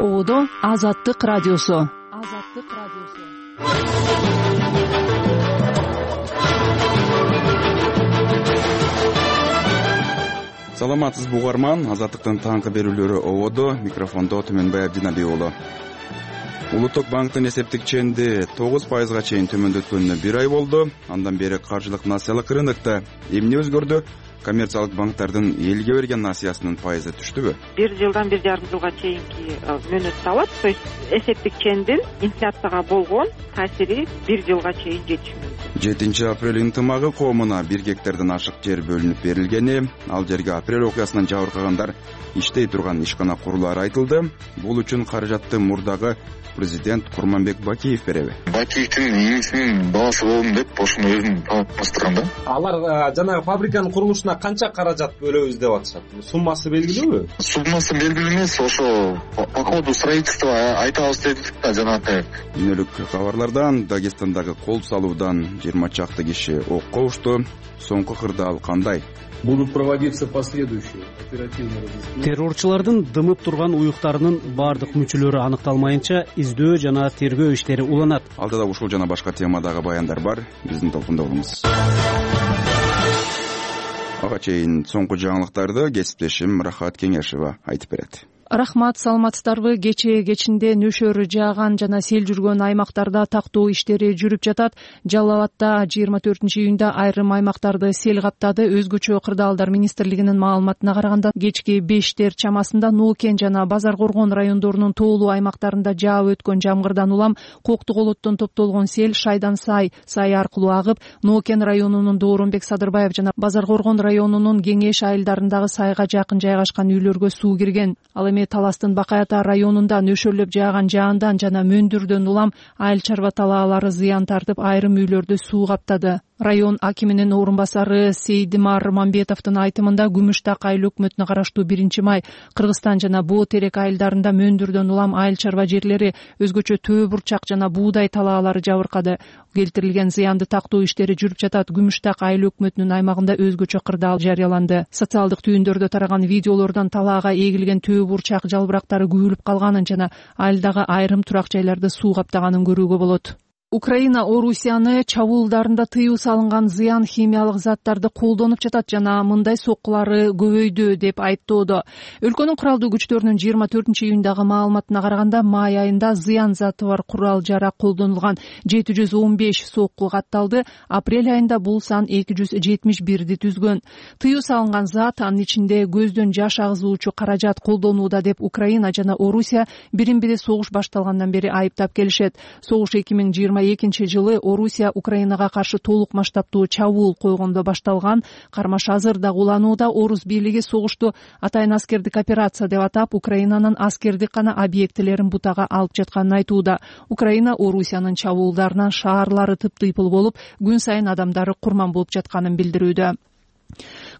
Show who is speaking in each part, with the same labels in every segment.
Speaker 1: Ободо Азаттык радиосу.
Speaker 2: Саламатсызбы угарман, Азаттыктын таңкы берүүлөрү Ободо, микрофондо Төмөнбай Абдинабий уулу. Улуттук банктын эсептик ченди 9%га чейин төмөндөткөнүнө 1 ай болду. Андан бери каржылык насыялык рынокто эмне өзгөрдү? Коммерциялык банктардын элге берген насыясынын пайызы түштүбү?
Speaker 3: 1 жылдан 1,5 жылга чейинки мөөнөттү алат. То есть эсептик чендин инфляцияга болгон таасири 1 жылга чейин жетиши мүмкүн.
Speaker 2: 7 апрель ынтымагы коомуна 1 гектардан ашык жер бөлүнүп берилгени, ал жерге апрель окуясынан жабыркагандар иштей турган ишкана курулары айтылды. Бул үчүн каражатты мурдагы президент Курманбек Бакиев береби?
Speaker 4: Бакиевдин ийгисинин баласы болдум деп ошону өзүн таныстырган да.
Speaker 5: Алар жанагы фабриканын курулушуна канча каражат бөлөбүз деп атышат. Суммасы белгилүүбү?
Speaker 4: Суммасы белгилүү эмес, ошо по ходу строительства айтабыз дедик да жанагы.
Speaker 2: Үнөлүк кабарлардан Дагестандагы кол салуудан 20 чакты киши окко ушту. Соңку кырдаал кандай?
Speaker 6: Будут проводиться последующие оперативные разыскания.
Speaker 7: Террорчулардын дымып турган уюктарынын бардык мүчөлөрү аныкталмайынча издөө жана тергөө иштери уланат.
Speaker 2: Алдыда ушул жана башка темадагы баяндар бар. Биздин толкунда болуңуз. Ага чейин соңку жаңылыктарды кесиптешим Рахат Кеңешева айтып берет.
Speaker 1: Рахмат, саламатсыздарбы? Кечинде нөшөр жааган жана сел жүргөн аймактарда тактоо иштери жүрүп жатат. Жалал Абадта 24-июнда айрым аймактарды сел каптады. Өзгөчө кырдаалдар министрлигинин маалыматына караганда кечки 5 чамасында Ноокен жана Базар Коргон райондорунун тоолуу аймактарында жаап өткөн жамгырдан улам Коктук олоттон топтолгон сел Шайдан сай аркылуу агып, Ноокен районунун Дооронбек Садырбаев жана Базар Коргон районунун Кеңеш айылдарындагы сайга жакын жайгашкан үйлөргө суу кирген. Ал эми Таластын Бакай Ата районунда нөшөрлөп жааган жаандан жана мөндүрдөн улам айыл чарба талаалары зыян тартып, айрым үйлөрдү суу каптады. Район акиминин орун басары Сейдимар Мамбетовдун айтымында Күмүштак айыл өкмөтүнө караштуу 1-май Кыргызстан жана Боо Терек айылдарында мөндүрдөн улам айыл чарба жерлери, өзгөчө төө бурчак жана буудай талаалары жабыркады. Келтирилген зыянды тактоо иштери жүрүп жатат. Күмүштак айыл өкмөтүнүн аймагында өзгөчө кырдаал жарыяланды. Социалдык түйүндөрдө тараган видеолордон талаага эгилген төө бурчак жалбырактары күбөлүп калганын жана айылдагы айрым турак жайларды суу каптаганын көрүүгө болот. Украина Орусияны чабуулдарында тыюу салынган зыян химиялык заттарды колдонуп жатат жана мындай соккулары көбөйдү деп айыптоодо. Өлкөнүн куралдуу күчтөрүнүн 24-июндагы маалыматына караганда май айында зыян заты бар курал жарак колдонулган 715 сокку катталды. Апрель айында бул сан 271 түзгөн. Тыюу салынган зат, анын ичинде көздөн жаш агызуучу каражат колдонууда деп Украина жана Орусия бирин-бири согуш башталгандан бери айыптап келишет. Согуш 2022-жылы Орусия Украинага каршы толук масштабтуу чабуул койгондо башталган. Кармаш азырда уланууда. Орус бийлиги согушту атайын аскердик операция деп атап, Украинанын аскердик гана объектилерин бутага алып жатканын айтууда. Украина Орусиянын чабуулдарынан шаарлары тыптыйпыл болуп, күн сайын адамдары курман болуп жатканын билдирүүдө.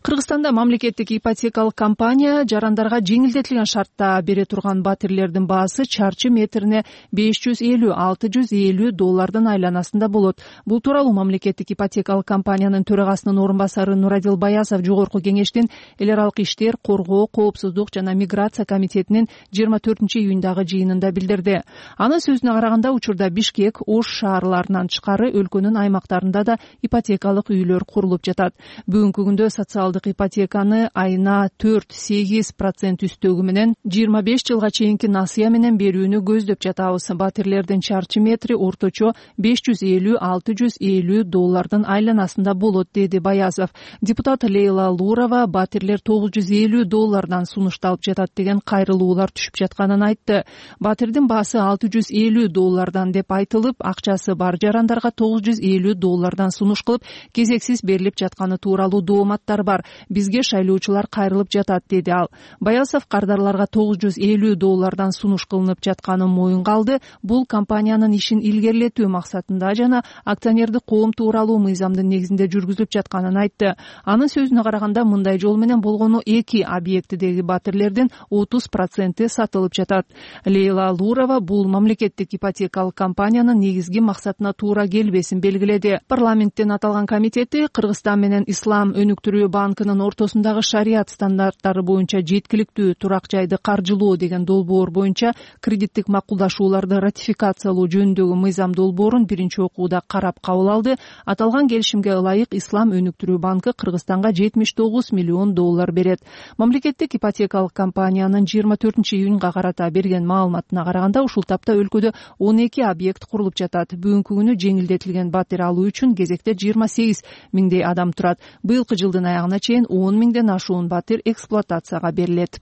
Speaker 1: Кыргызстанда мамлекеттик ипотекалык компания жарандарга жеңилдетилген шартта бере турган батирлердин баасы чарчы метрине $550–650 айланасында болот. Бул тууралуу мамлекеттик ипотекалык компаниянын төрагасынын орун басары Нурадил Баясов Жогорку Кеңештин эл аралык иштер, коргоо, коопсуздук жана миграция комитетинин 24-июндагы жыйынында билдирди. Анын сөзүнө караганда, учурда Бишкек, Ош шаарларынан тышкары өлкөнүн аймактарында да ипотекалык үйлөр курулуп жатат. Бүгүнкү күндө социалдык ипотеканы айына 4–8% үстөгү менен 25 жылга чейинки насыя менен берүүнү көздөп жатабыз. Батирлердин чарчы метри орточо $550–650 айланасында болот, деди Баязов. Депутат Лейла Лурова батирлер $950 сунушталып жатат деген кайрылуулар түшүп жатканын айтты. Батирдин баасы $650 деп айтылып, акчасы бар жарандарга $950 сунуш кылып, кезексиз берилип жатканы тууралуу дооматтар бар. Бизге шайлоочулар кайрылып жатат, деди ал. Баясов кардарларга $950 сунуш кылынып жатканын моюнга алды. Бул компаниянын ишин илгерилетүү максатында жана акционердик коом тууралуу мыйзамдын негизинде жүргүзүлүп жатканын айтты. Анын сөзүнө караганда, мындай жол менен болгону 2 объектидеги батирлердин 30% сатылып жатат. Лейла Лурова бул мамлекеттик ипотекалык компаниянын негизги максатына туура келбесин белгиледи. Парламенттин аталган комитети Кыргызстан менен Ислам өнүктүрүү банк банкынын ортосундагы шариат стандарттары боюнча жеткиликтүү турак жайды каржылоо деген долбоор боюнча кредиттик макулдашууларды ратификациялоо жөнүндөгү мыйзам долбоорун биринчи окууда карап кабыл алды. Аталган келишимге ылайык Ислам өнүктүрүү банкы Кыргызстанга $79 миллион берет. Мамлекеттик ипотекалык компаниянын 24-июнга карата берген маалыматына караганда ушул тапта өлкөдө 12 объект курулуп жатат. Бүгүнкү күнү жеңилдетилген батир алуу үчүн кезекте 28 миңдей адам турат. Быйылкы жылдын аягына чейин 10 миңден ашуун батир эксплуатацияга берилет.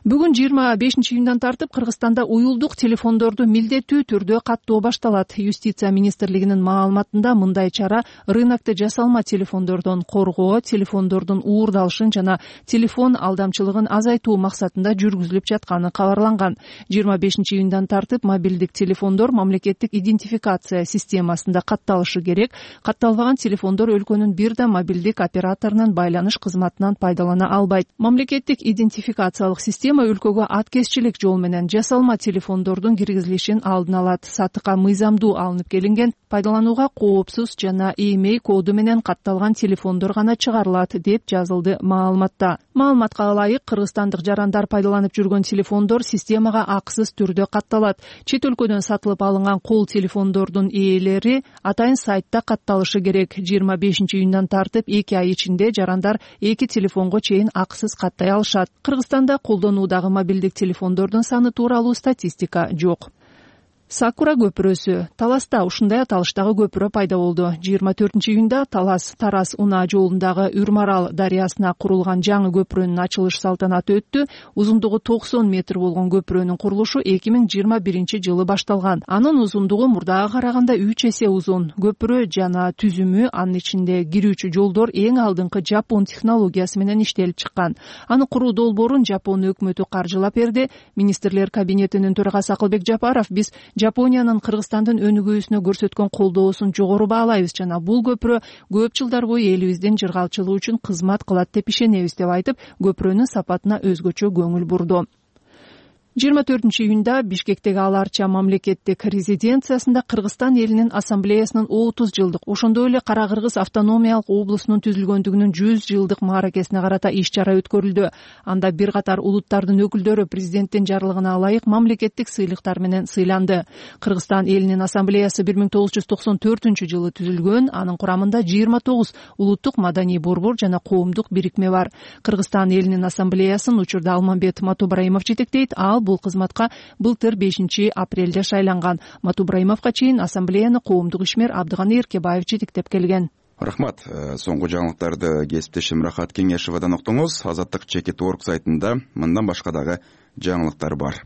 Speaker 1: Бүгүн 25-июндан тартып Кыргызстанда уюлдук телефондорду милдеттүү түрдө каттоо башталат. Юстиция министрлигинин маалыматында мындай чара рынокто жасалма телефондордон коргоо, телефондордун уурдалышын жана телефон алдамчылыгын азайтуу максатында жүргүзүлүп жатканы кабарланган. 25-июндан тартып мобилдик телефондор мамлекеттик идентификация системасында катталышы керек. Катталбаган телефондор өлкөнүн бир да мобилдик операторунун байланыш кызматынан пайдалана албайт. Мамлекеттик идентификациялык система өлкөгө аткезчилик жол менен жасалма телефондордун киргизилишин алдын алат. Сатыкка мыйзамдуу алынып келинген, пайдаланууга коопсуз жана имей коду менен катталган телефондор гана чыгарылат деп жазылды маалыматта. Маалыматка ылайык кыргызстандык жарандар пайдаланып жүргөн телефондор системага акысыз түрдө катталат. Чет өлкөдөн сатылып алынган кол телефондордун ээлери атайын сайтта катталышы керек. 25-июндан тартып 2 ай ичинде жарандар 2 телефонго чейин акысыз каттай алышат. Кыргызстанда колдонуудагы мобилдик телефондордун саны тууралуу статистика жок. Сакура көпүрөсү. Таласта ушундай аталыштагы көпүрө пайда болду. 24-июнда Талас-Тарас Унаа жолундагы Үрмарал дарыясына курулган жаңы көпүрөнүн ачылыш салтанаты өттү. Узундугу 90 метр болгон көпүрөнүн курулушу 2021-жылы башталган. Анын узундугу мурдага караганда 3 эсе узун. Көпүрө жана түзүмү, анын ичинде кирүүчү жолдор эң алдыңкы Жапон технологиясы менен иштелип чыккан. Аны куруу долбоорун Жапон өкмөтү каржылап берди. Министрлер кабинетинин төрагасы Акылбек Жапаров: биз Жапониянын Кыргызстандын өнүгүүсүнө көрсөткөн колдоосун жогору баалайбыз жана бул көпүрө көп жылдар бою элибиздин жыргалчылыгы үчүн кызмат кылат деп ишенебиз деп айтып, көпүрөнүн сапатына өзгөчө көңүл бурду. 24-июнда Бишкектеги Аларча мамлекеттик резиденциясында Кыргызстан элинин ассамблеясынын 30 жылдык, ошондой эле Кара Кыргыз автономиялык облусунун түзүлгөндүгүнүн 100 жылдык мааракесине карата иш-чара өткөрүлдү. Анда бир катар улуттардын өкүлдөрү президенттин жарлыгына ылайык мамлекеттик сыйлыктар менен сыйланды. Кыргызстан элинин ассамблеясы 1994-жылы түзүлгөн, анын курамында 29 улуттук маданий борбор жана коомдук бирикме бар. Кыргызстан элинин ассамблеясын учурда Алмамбет Матубраимов жетектейт. Бул кызматка былтыр 5-апрелде шайланган. Матубраимовго чейин ассамблеяны коомдук ишмер Абдыганы Эркебаев жетектеп келген.
Speaker 2: Рахмат. Соңку жаңылыктарды кесиптешим Рахат Кеңешевадан уктуңуз. Азаттык Чекит.org сайтында мындан башка дагы жаңылыктар бар.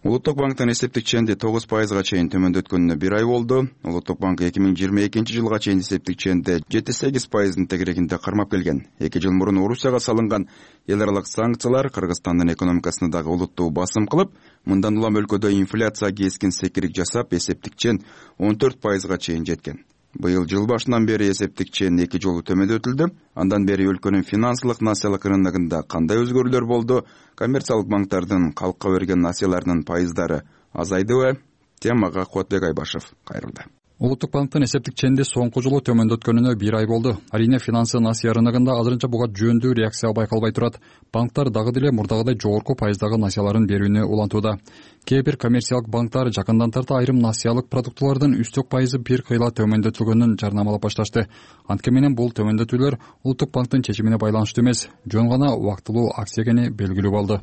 Speaker 2: Улуттук банктын эсептик ченди 9%га чейин төмөндөткөнүнө 1 ай болду. Улуттук банк 2022-жылга чейин эсептик ченди 7-8%дын тегерегинде кармап келген. 2 жыл мурун Орусияга салынган эл аралык санкциялар Кыргызстандын экономикасына дагы олуттуу басым кылып, мындан улам өлкөдө инфляция кескин секирик жасап, эсептик чен 14%га чейин жеткен. Быйыл жыл башынан бери эсептик чен 2 жолу төмөндөтүлдү. Андан бери өлкөнүн финансылык насыялык рыногунда кандай өзгөрүүлөр болду? Коммерциялык банктардын калкка берген насыяларынын пайыздары азайдыбы? Темага Куатбек Айбашев кайрылды.
Speaker 8: Улуттук банктын эсептик ченди соңку жолу төмөндөткөнүнө 1 ай болду. Арийне финансы насыя рыногунда азырынча буга жөндүү реакция байкалбай турат. Банктар дагы деле мурдагыдай жогорку пайыздагы насыяларын берүүнү улантууда. Кээ бир коммерциялык банктар жакындан тарта айрым насыялык продуктылардын үстөк пайызы бир кыйла төмөндөтүлгөнүн жарнамалап башташты. Анткени менен бул төмөндөтүүлөр Улуттук банктын чечимине байланыштуу эмес, жөн гана убактылуу акция экени белгилүү болду.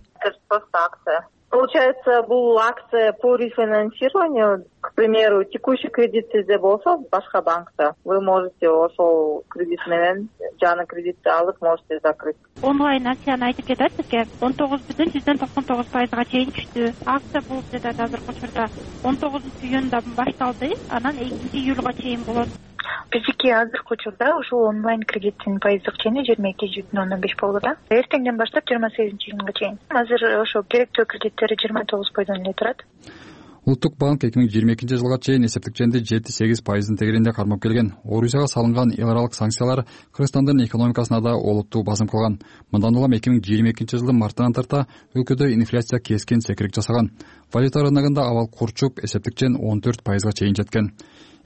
Speaker 9: Получается, бул акция по рефинансированию, к примеру, текущий кредит сизде болсо башка банкта, вы можете ошол кредит менен жаңы кредитти алып можете закрыть.
Speaker 10: Онлайн акцияны айтып кетет бизге 19,99%га чейин түштү. Акция болуп жатат азыркы учурда 19-июнда башталды, анан 2-июлга чейин болот.
Speaker 11: Биздики азыркы учурда ушул онлайн кредиттин пайыздык чени 22,05 болду да. Эртеңден баштап 28-июнга чейин. Азыр ошо керектүү кредиттери 29% эле турат.
Speaker 8: Улуттук банк 2022 жылга чейин эсептик ченди 7-8% тегеринде кармап келген. Орусияга салынган эл аралык санкциялар Кыргызстандын экономикасына да олуттуу басым кылган. Мындан улам 2022 жылдын мартынан тарта өлкөдө инфляция кескин секирик жасаган. Валюта рыногунда абал курчуп, эсептик чен 14% чейин жеткен.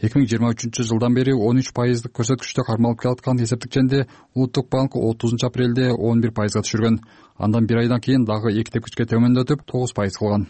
Speaker 8: 2023 жылдан бери 13% көрсөткүчтө кармалып келаткан эсептик ченди Улуттук банк 30 апрелде 11% түшүргөн. Андан бир айдан кийин дагы 2 тепкичке төмөндөтүп 9% кылган.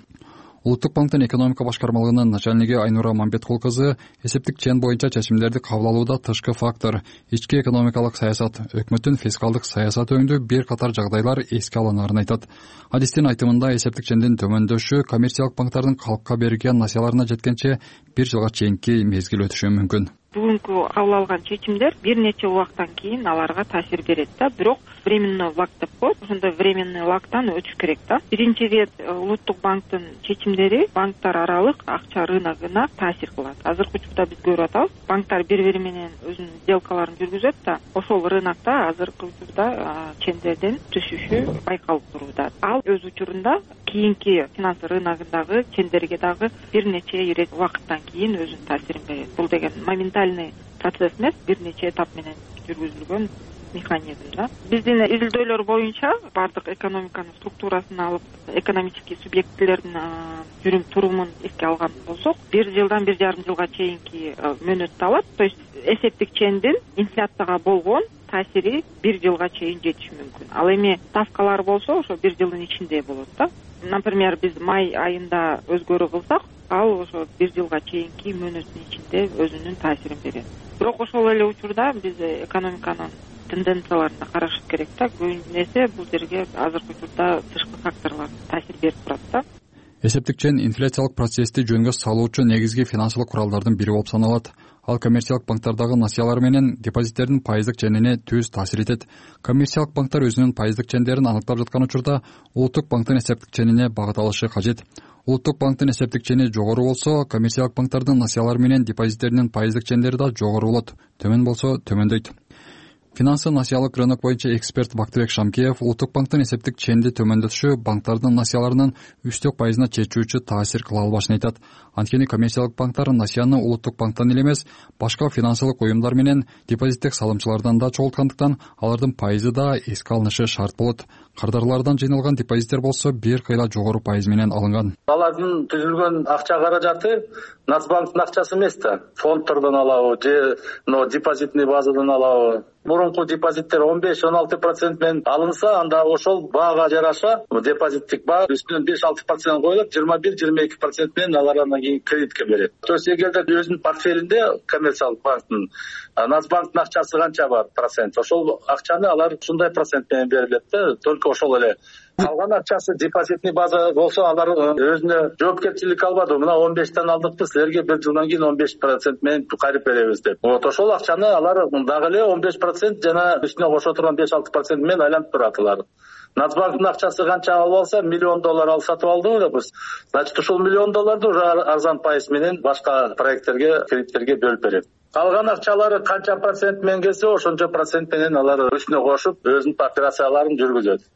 Speaker 8: Улуттук банктын экономика башкармалыгынын начальниги Айнура Мамбеткул кызы эсептик чен боюнча чечимдерди кабыл алууда тышкы фактор, ички экономикалык саясат, өкмөттүн фискалдык саясаты өңдүү бир катар жагдайлар эске алынаарын айтат. Адистин айтымында эсептик чендин төмөндөшү коммерциялык банктардын калкка берген насыяларына жеткенче бир жылга чейинки мезгил өтүшү мүмкүн.
Speaker 3: Бүгүнкү кабыл алган чечимдер бир нече убакыттан кийин аларга таасир берет да, бирок временный лаг деп коет. Ошондой временный лагтан өтүш керек да. Биринчи рет Улуттук банктын чечимдери банктар аралык акча рыногуна таасир кылат. Азыркы учурда биз көрүп атабыз, банктар бири-бири менен өзүнүн сделкаларын жүргүзөт да, ошол рынокто азыркы учурда чендердин түшүшү байкалып турууда. Ал өз учурунда кийинки финансы рыногундагы чендерге дагы бир нече убакыттан кийин өзүнүн таасирин берет. Бул деген моментальный процесс эмес, бир нече этап менен жүргүзүлгөн механизм да. Биздин изилдөөлөр боюнча бардык экономиканын структурасын алып, экономический субъектилердин жүрүм турумун эске алган болсок, 1 жылдан 1,5 жылга чейинки мөөнөттү алат. То есть эсептик чендин инфляцияга болгон таасири 1 жылга чейин жетиши мүмкүн. Ал эми ставкалар болсо ошо 1 жылдын ичинде болот да. Например, биз май айында өзгөрүү кылсак, ал ошо 1 жылга чейинки мөөнөттүн ичинде өзүнүн таасирин берет. Бирок ошол эле учурда биз экономиканын тенденцияларына карашыбыз керек да. Көбүнесе бул жерге азыркы учурда тышкы факторлор таасир берип турат да.
Speaker 8: Эсептик чен инфляциялык процессти жөнгө салуучу негизги финансылык куралдардын бири болуп саналат. Ал коммерциялык банктардагы насыялар менен депозиттердин пайыздык ченине түз таасир этет. Коммерциялык банктар өзүнүн пайыздык чендерин аныктап жаткан учурда Улуттук банктын эсептик ченине багыт алышы кажет. Улуттук банктын эсептик чени жогору болсо, коммерциялык банктардын насыялары менен депозиттеринин пайыздык чендери да жогору болот, төмөн болсо төмөндөйт. Финансы насыялык рынок боюнча эксперт Бактыбек Шамкеев Улуттук банктын эсептик ченди төмөндөтүшү банктардын насыяларынын үстөк пайызына чечүүчү таасир кыла албашын айтат. Анткени коммерциялык банктар насыяны Улуттук банктан эле эмес, башка финансылык уюмдар менен депозиттик салымчылардан да чогулткандыктан алардын пайызы да эске алынышы шарт болот. Кардарлардан жыйналган депозиттер болсо бир кыйла жогору пайыз менен алынган.
Speaker 12: Алардын түзүлгөн акча каражаты Нацбанктын акчасы эмес да. Фондтордон алабы же депозитный базадан алабы. Мурунку депозиттер 15-16% менен алынса, анда ошол баага жараша депозиттик баа үстүнөн 5-6% коюлат, 21-22% менен алар андан кийин кредитке берет. То есть эгерде өзүнүн портфелинде коммерциялык банктын Нацбанктын акчасы канча бар процент, ошол акчаны алар ушундай процент менен берилет да, только ошол эле. Калган акчасы депозитный база болсо, алар өзүнө жоопкерчилик албады. Мына 15тен алдыкпы, силерге 1 жылдан кийин 15% менен кайрып беребиз деп. Вот ошол акчаны алар дагы эле 15% жана үстүнө кошо турган 5-6% менен айланып турат алар. Нацбанктын акчасы канча алып алса, $1 миллион алып сатып алдыңыз да биз. Значит, ушул $1 миллионду уже арзан пайыз менен башка проекттерге, кредиттерге бөлүп берет. Калган акчалары канча процент менен келсе, ошончо процент менен алар үстүнө кошуп өзүнүн операцияларын жүргүзөт.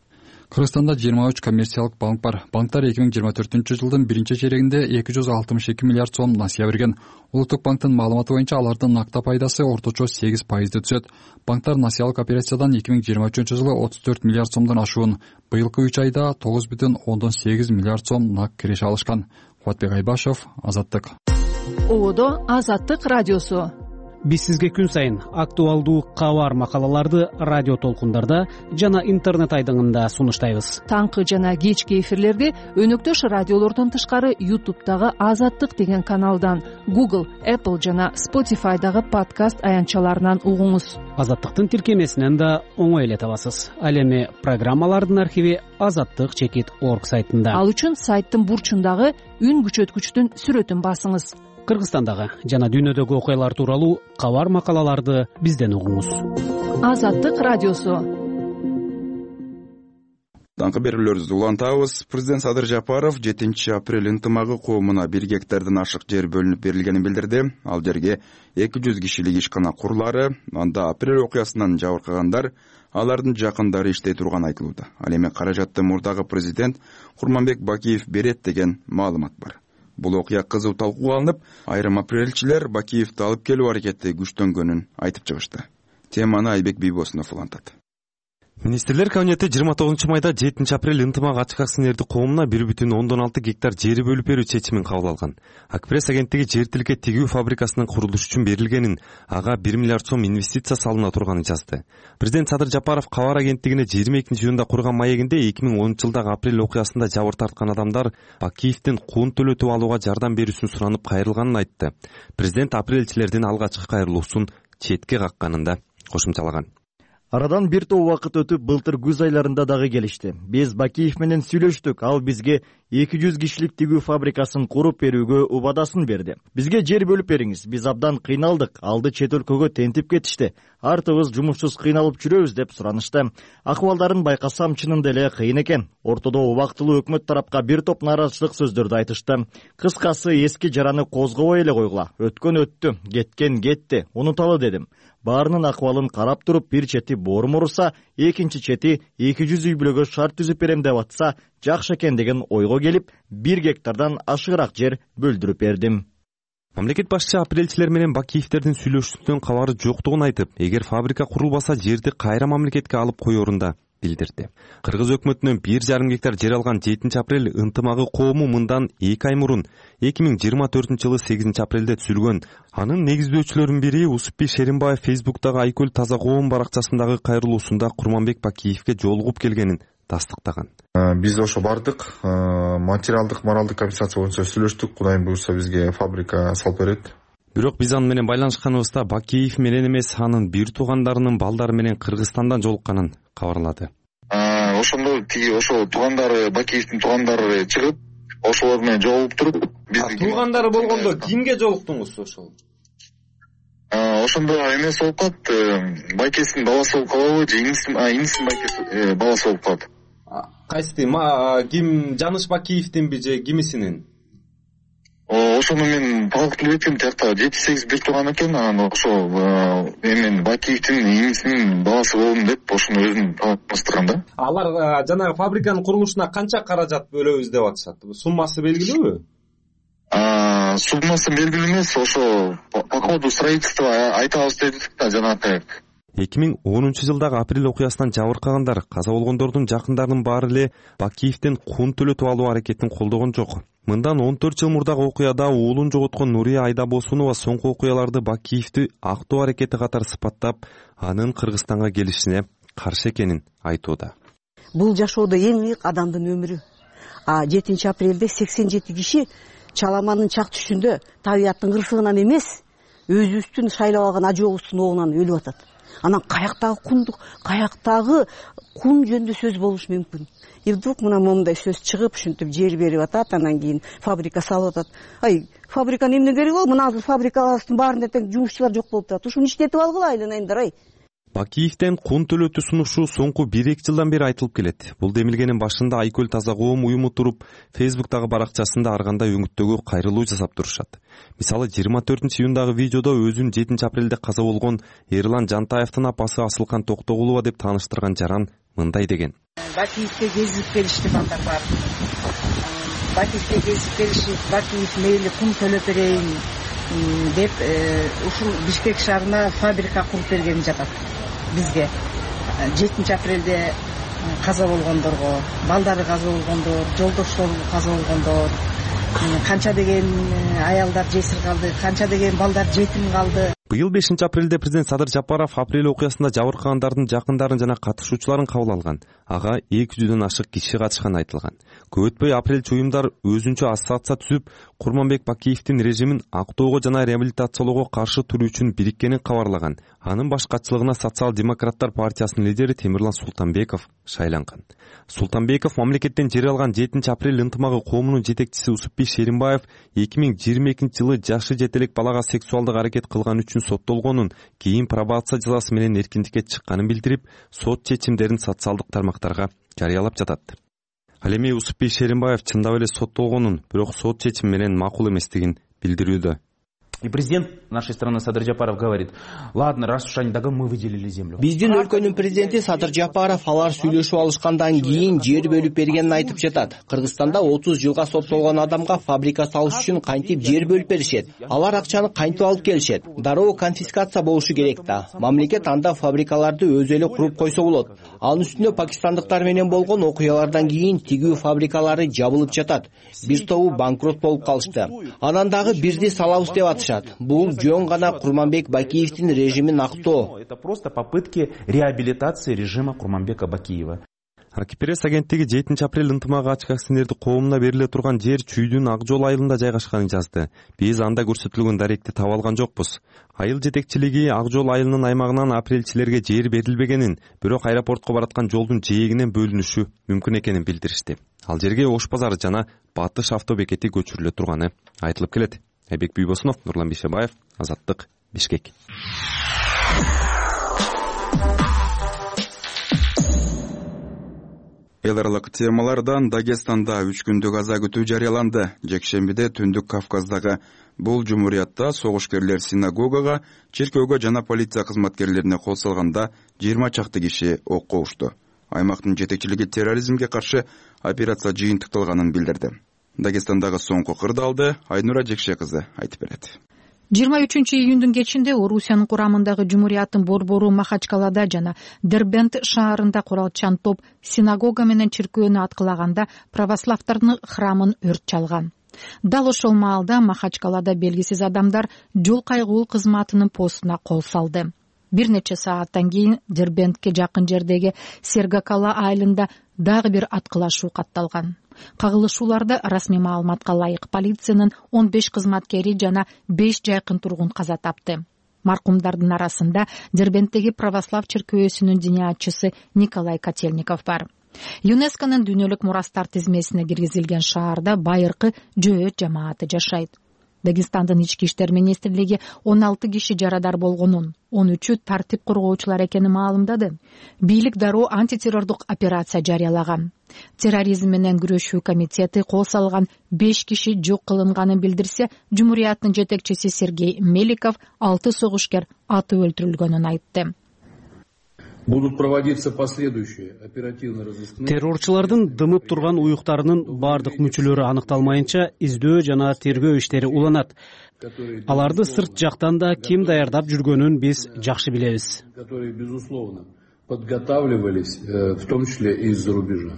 Speaker 8: Кыргызстанда 23 коммерциялык банк бар. Банктар 2024 жылдын 1 чейрегинде 262 миллиард сом насыя берген. Улуттук банктын маалыматы боюнча алардын накта пайдасы орточо 8% түзөт. Банктар насыялык операциядан 2023 жылы 34 миллиард сомдон ашуун, быйылкы 3 айда 9,8 миллиард сом нак киреше алышкан. Кубатбек Айбашев, Азаттык.
Speaker 1: Ободо Азаттык радиосу.
Speaker 7: Биз сизге күн сайын актуалдуу кабар макалаларды радио толкундарда жана интернет айдыңында сунуштайбыз.
Speaker 1: Таңкы жана кечки эфирлерди өнөктөш радиолордон тышкары YouTube'дагы Азаттык деген каналдан, Google, Apple жана Spotify'дагы подкаст аянтчаларынан угуңуз.
Speaker 7: Азаттыктын тиркемесинен да оңой эле табасыз. Ал эми программалардын архиви azattik.org сайтында.
Speaker 1: Ал үчүн сайттын бурчундагы үн күчөткүчтүн сүрөтүн басыңыз.
Speaker 7: Кыргызстандагы жана дүйнөдөгү окуялар тууралуу кабар макалаларды бизден угуңуз.
Speaker 1: Азаттык радиосу.
Speaker 2: Таңкы берүүлөрүбүздү улантабыз. Президент Садыр Жапаров 7 апрель ынтымагы коомуна 1 гектардан ашык жер бөлүнүп берилгенин билдирди. Ал жерге 200 кишилик ишкана курулары, анда апрель окуясынан жабыркагандар, алардын жакындары иштей турган айтылууда. Ал эми каражатты мурдагы президент Курманбек Бакиев берет деген маалымат бар. Бул окуя кызуу талкууга алынып, айрым апрелчилер Бакиевди алып келүү аракети күчтөнгөнүн айтып чыгышты. Теманы Айбек Бийбосунов улантат.
Speaker 13: Министрлер кабинети 29 майда 7 апрель ынтымак ачык акционердик коомуна 1,6 гектар жери бөлүп берүү чечимин кабыл алган. Акпресс агенттиги жер тилке тигүү фабрикасынын курулушу үчүн берилгенин, ага 1 миллиард сом инвестиция салына турганын жазды. Президент Садыр Жапаров кабар агенттигине 22-июнда курган маегинде 2010-жылдагы апрель окуясында жабыр тарткан адамдар Бакиевдин кун төлөтүп алууга жардам берүүсүн суранып кайрылганын айтты. Президент апрелчилердин алгачкы кайрылуусун четке какканын да кошумчалаган.
Speaker 14: Арадан бир топ убакыт өтүп, былтыр күз айларында дагы келишти. Биз Бакиев менен сүйлөштүк. Ал бизге 200 кишилик тигүү фабрикасын куруп берүүгө убадасын берди. Бизге жер бөлүп бериңиз. Биз абдан кыйналдык. Алды чет өлкөгө тентип кетишти. Артыбыз жумушсуз кыйналып жүрөбүз деп суранышты. Акыбалдарын байкасам чынында эле кыйын экен. Ортодо убактылуу өкмөт тарапка бир топ нааразычылык сөздөрдү айтышты. Кыскасы эски жараны козгобой эле койгула. Өткөн өттү, кеткен кетти. Унуталы дедим. Баарынын акыбалын карап туруп, бир чети боорум уруса, экинчи чети 200 үй бүлөгө шарт түзүп берем деп атса, жакшы экен деген ойго келип, 1 гектардан ашыгыраак жер бөлдүрүп бердим.
Speaker 13: Мамлекет башчысы апрелчилер менен Бакиевдердин сүйлөшүүсүнөн кабары жоктугун айтып, эгер фабрика курулбаса жерди кайра мамлекетке алып коерун да билдирди. Кыргыз өкмөтүнөн 1,5 гектар жер алган 7 апрель ынтымагы коому мындан 2 ай мурун 2024-жылы 8 апрелде түзүлгөн. Анын негиздөөчүлөрүнүн бири Усупбий Шеримбаев Фейсбуктагы Айкөл Таза коом баракчасындагы кайрылуусунда Курманбек Бакиевге жолугуп келгенин тастыктаган.
Speaker 4: Биз ошо бардык, материалдык, моралдык компенсация боюнча сүйлөштүк. Кудайым буйрса бизге фабрика салып берет.
Speaker 13: Бирок биз аны менен байланышканыбызда Бакиев менен эмес, анын бир туугандарынын балдары менен Кыргызстандан жолукканын кабарлады.
Speaker 4: Ошондо ошо туугандары, Бакиевдин туугандары чыгып, ошолор менен жолугуп туруп,
Speaker 5: туугандары болгондо кимге жолуктуңуз ошол?
Speaker 4: Ошондо эмес болуп калат, байкесинин баласы болуп калабы же инисинин байкеси баласы болуп калат.
Speaker 5: Кайсы ким, Жаныш Бакиевдинби же кимисинин?
Speaker 4: Ошону мен талкып билбейтим, тиякта 7-8 бир тууган экен, анан ошо мен Бакиевдин инисинин баласы болдум деп ошону өзүн таныштырган да.
Speaker 5: Алар жанагы фабриканын курулушуна канча каражат бөлөбүз деп атышат? Суммасы белгилүүбү?
Speaker 4: Суммасы белгилүү эмес, ошо по ходу строительства айтабыз дедик да жанагы.
Speaker 13: 2010-жылдагы апрель окуясынан жабыркагандар, каза болгондордун жакындарынын баары эле Бакиевден кун төлөтүп алуу аракетин колдогон жок. Мындан 14 жыл мурдагы окуяда уулун жоготкон Нурия Айдабосунова соңку окуяларды Бакиевди актоо аракети катары сыпаттап, анын Кыргызстанга келишине каршы экенин айтууда.
Speaker 15: Бул жашоодо эң ыйык адамдын өмүрү. 7 апрелде 87 киши Чаламанын чак түшүндө табияттын кырсыгынан эмес, өзүбүздүн шайлап алган ажообуздун оогунан өлүп атат. Анан каяктагы кундук, каяктагы кун жөнүндө сөз болушу мүмкүн. Вдруг мына момундай сөз чыгып, ушинтип жер берип атат, анан кийин фабрика салып атат. Фабриканы эмне кереги бол? Мына азыр фабрикалардын баарында тең жумушчулар жок болуп турат. Ушуну иштетип алгыла айланайымдар.
Speaker 13: Бакиевден кун төлөтүү сунушу соңку 1-2 жылдан бери айтылып келет. Бул демилгенин башында Айкөл Таза коом уюму туруп, Фейсбуктагы баракчасында ар кандай өңүттөгү кайрылуу жасап турушат. Мисалы 24-июндагы видеодо өзүн 7 апрелде каза болгон Эрлан Жантаевдин апасы Асылкан Токтогулова деп тааныштырган жаран мындай деген.
Speaker 16: Бакиевге кезип келишти балдар бар. Бакиевге кезип келишип, Бакиев мейли кун төлөп берейин деп ушул Бишкек шаарына фабрика куруп бергени жатат бизге. 7 апрелде каза болгондорго, балдары каза болгондор, жолдоштору каза болгондор, канча деген аялдар жесир калды, канча деген балдар жетим калды.
Speaker 13: Быйыл 5 апрелде президент Садыр Жапаров апрель окуясында жабыркагандардын жакындарын жана катышуучуларын кабыл алган. Ага 200дөн ашык киши катышканы айтылган. Көп өтпөй апрельчи уюмдар өзүнчө ассоциация түзүп, Курманбек Бакиевдин режимин актоого жана реабилитациялоого каршы туруу үчүн бириккенин кабарлаган. Анын баш катчылыгына Социал-демократтар партиясынын лидери Темирлан Султанбеков шайланган. Султанбеков мамлекеттен жер алган 7 апрель ынтымагы коомунун жетекчиси Усупбий Шеримбаев 2022-жылы жашы жетелек балага сексуалдык аракет кылган үчүн соттолгонун, кийин пробация жазасы менен эркиндикке чыкканын билдирип, сот чечимдерин социалдык тармактарга жарыялап жатат. Ал эми Усупбий Шеримбаев чындап эле соттолгонун, бирок сот чечими менен макул эместигин билдирүүдө.
Speaker 17: И президент нашей страны Садыр Жапаров говорит: ладно, раз уж они мы выделили землю.
Speaker 18: Биздин өлкөнүн президенти Садыр Жапаров алар сүйлөшүп алышкандан кийин жер бөлүп бергенин айтып жатат. Кыргызстанда 30 жылга соттолгон адамга фабрика салыш үчүн кантип жер бөлүп беришет? Алар акчаны кантип алып келишет? Дароо конфискация болушу керек да. Мамлекет анда фабрикаларды өзү эле куруп койсо болот. Анын үстүнө пакистандыктар менен болгон окуялардан кийин тигүү фабрикалары жабылып жатат. Бир тобу банкрот болуп калышты. Анан дагы бирди салабыз деп атышат. Бул жөн гана Курманбек Бакиевдин режимин актоо.
Speaker 17: Это просто попытки реабилитации режима Курманбека Бакиева.
Speaker 13: Акипресс агенттиги 7 апрель ынтымак ачык акционердик коомуна бериле турган жер Чүйдүн Ак Жол айылында жайгашканын жазды. Биз анда көрсөтүлгөн даректи таба алган жокпуз. Айыл жетекчилиги Ак Жол айылынын аймагынан апрелчилерге жер берилбегенин, бирок аэропортко бараткан жолдун жээгинен бөлүнүшү мүмкүн экенин билдиришти. Ал жерге Ош базары жана Батыш автобекети көчүрүлө турганы айтылып келет. Айбек Бүйбосунов, Нурлан Бишебаев, Азаттык, Бишкек.
Speaker 2: Эл аралык темалардан Дагестанда 3 күндүк аза күтүү жарыяланды. Жекшембиде Түндүк Кавказдагы бул жумуриятта согушкерлер синагогага, чиркөөгө жана полиция кызматкерлерине кол салганда 20 чакты киши окко ушту. Аймактын жетекчилиги терроризмге каршы операция жыйынтыкталганын билдирди. Дагестандагы соңку кырдаалды Айнура Жекше кызы айтып берет.
Speaker 1: 23-июндун кечинде Орусиянын курамындагы жумурияттын борбору Махачкалада жана Дербент шаарында куралчан топ синагога менен чиркөөнү аткылаганда православдардын храмын өрт чалган. Дал ошол маалда Махачкалада белгисиз адамдар жол кайгылуу кызматынын постуна кол салды. Бир нече сааттан кийин Дербентке жакын жердеги Сергакала айылында дагы бир аткылашуу катталган. Кагылышууларда расмий маалыматка ылайык полициянын 15 кызматкери жана 5 жайкын тургун каза тапты. Маркумдардын арасында Дербенттеги православ чиркөөсүнүн диниятчысы Николай Котельников бар. ЮНЕСКОнун дүйнөлүк мурастар тизмесине киргизилген шаарда байыркы жөөт жамааты жашайт. Дагестандын ички иштер министрлиги 16 киши жарадар болгонун, 13-ü тартип коргоочулар экенин маалымдады. Бийлик дароо антитеррордук операция жарыялаган. Терроризм менен күрөшүү комитети кол салган 5 киши жок кылынганын билдирсе, жумурияттын жетекчиси Сергей Меликов 6 согушкер атып өлтүрүлгөнүн айтты.
Speaker 6: Будут проводиться последующие оперативно-розыскные.
Speaker 7: Террорчулардын дымып турган уюктарынын бардык мүчөлөрү аныкталмайынча издөө жана тергөө иштери уланат. Аларды сырт жактан да ким даярдап жүргөнүн биз жакшы билебиз.
Speaker 6: Которые, безусловно, подготавливались, в том числе и из-за рубежа.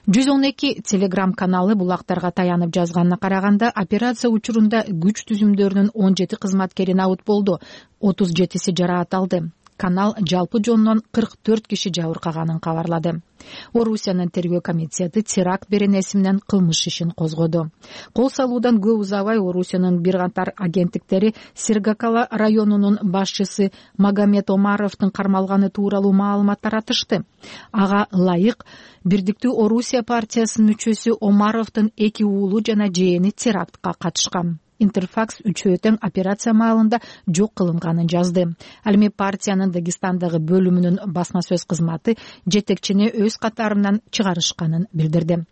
Speaker 1: 112 телеграм каналы булактарга таянып жазганына караганда, операция учурунда күч түзүмдөрүнүн 17 кызматкери набыт болду, 37си жараат алды. Канал жалпы жонунан 44 киши жабыркаганын кабарлады. Орусиянын тергөө комитети теракт беренеси менен кылмыш ишин козгоду. Кол салуудан көп узабай Орусиянын бир катар агенттиктери Сергакала районунун башчысы Магомед Омаровдун кармалганы тууралуу маалымат таратышты. Ага ылайык Бирдиктүү Орусия партиясынын мүчөсү Омаровдун 2 уулу жана жээни терактка катышкан. Интерфакс үчөө операция маалында жок кылынганын жазды. Ал эми партиянын Дагестандагы бөлүмүнүн басма сөз кызматы жетекчини өз катарынан чыгарышканын билдирди.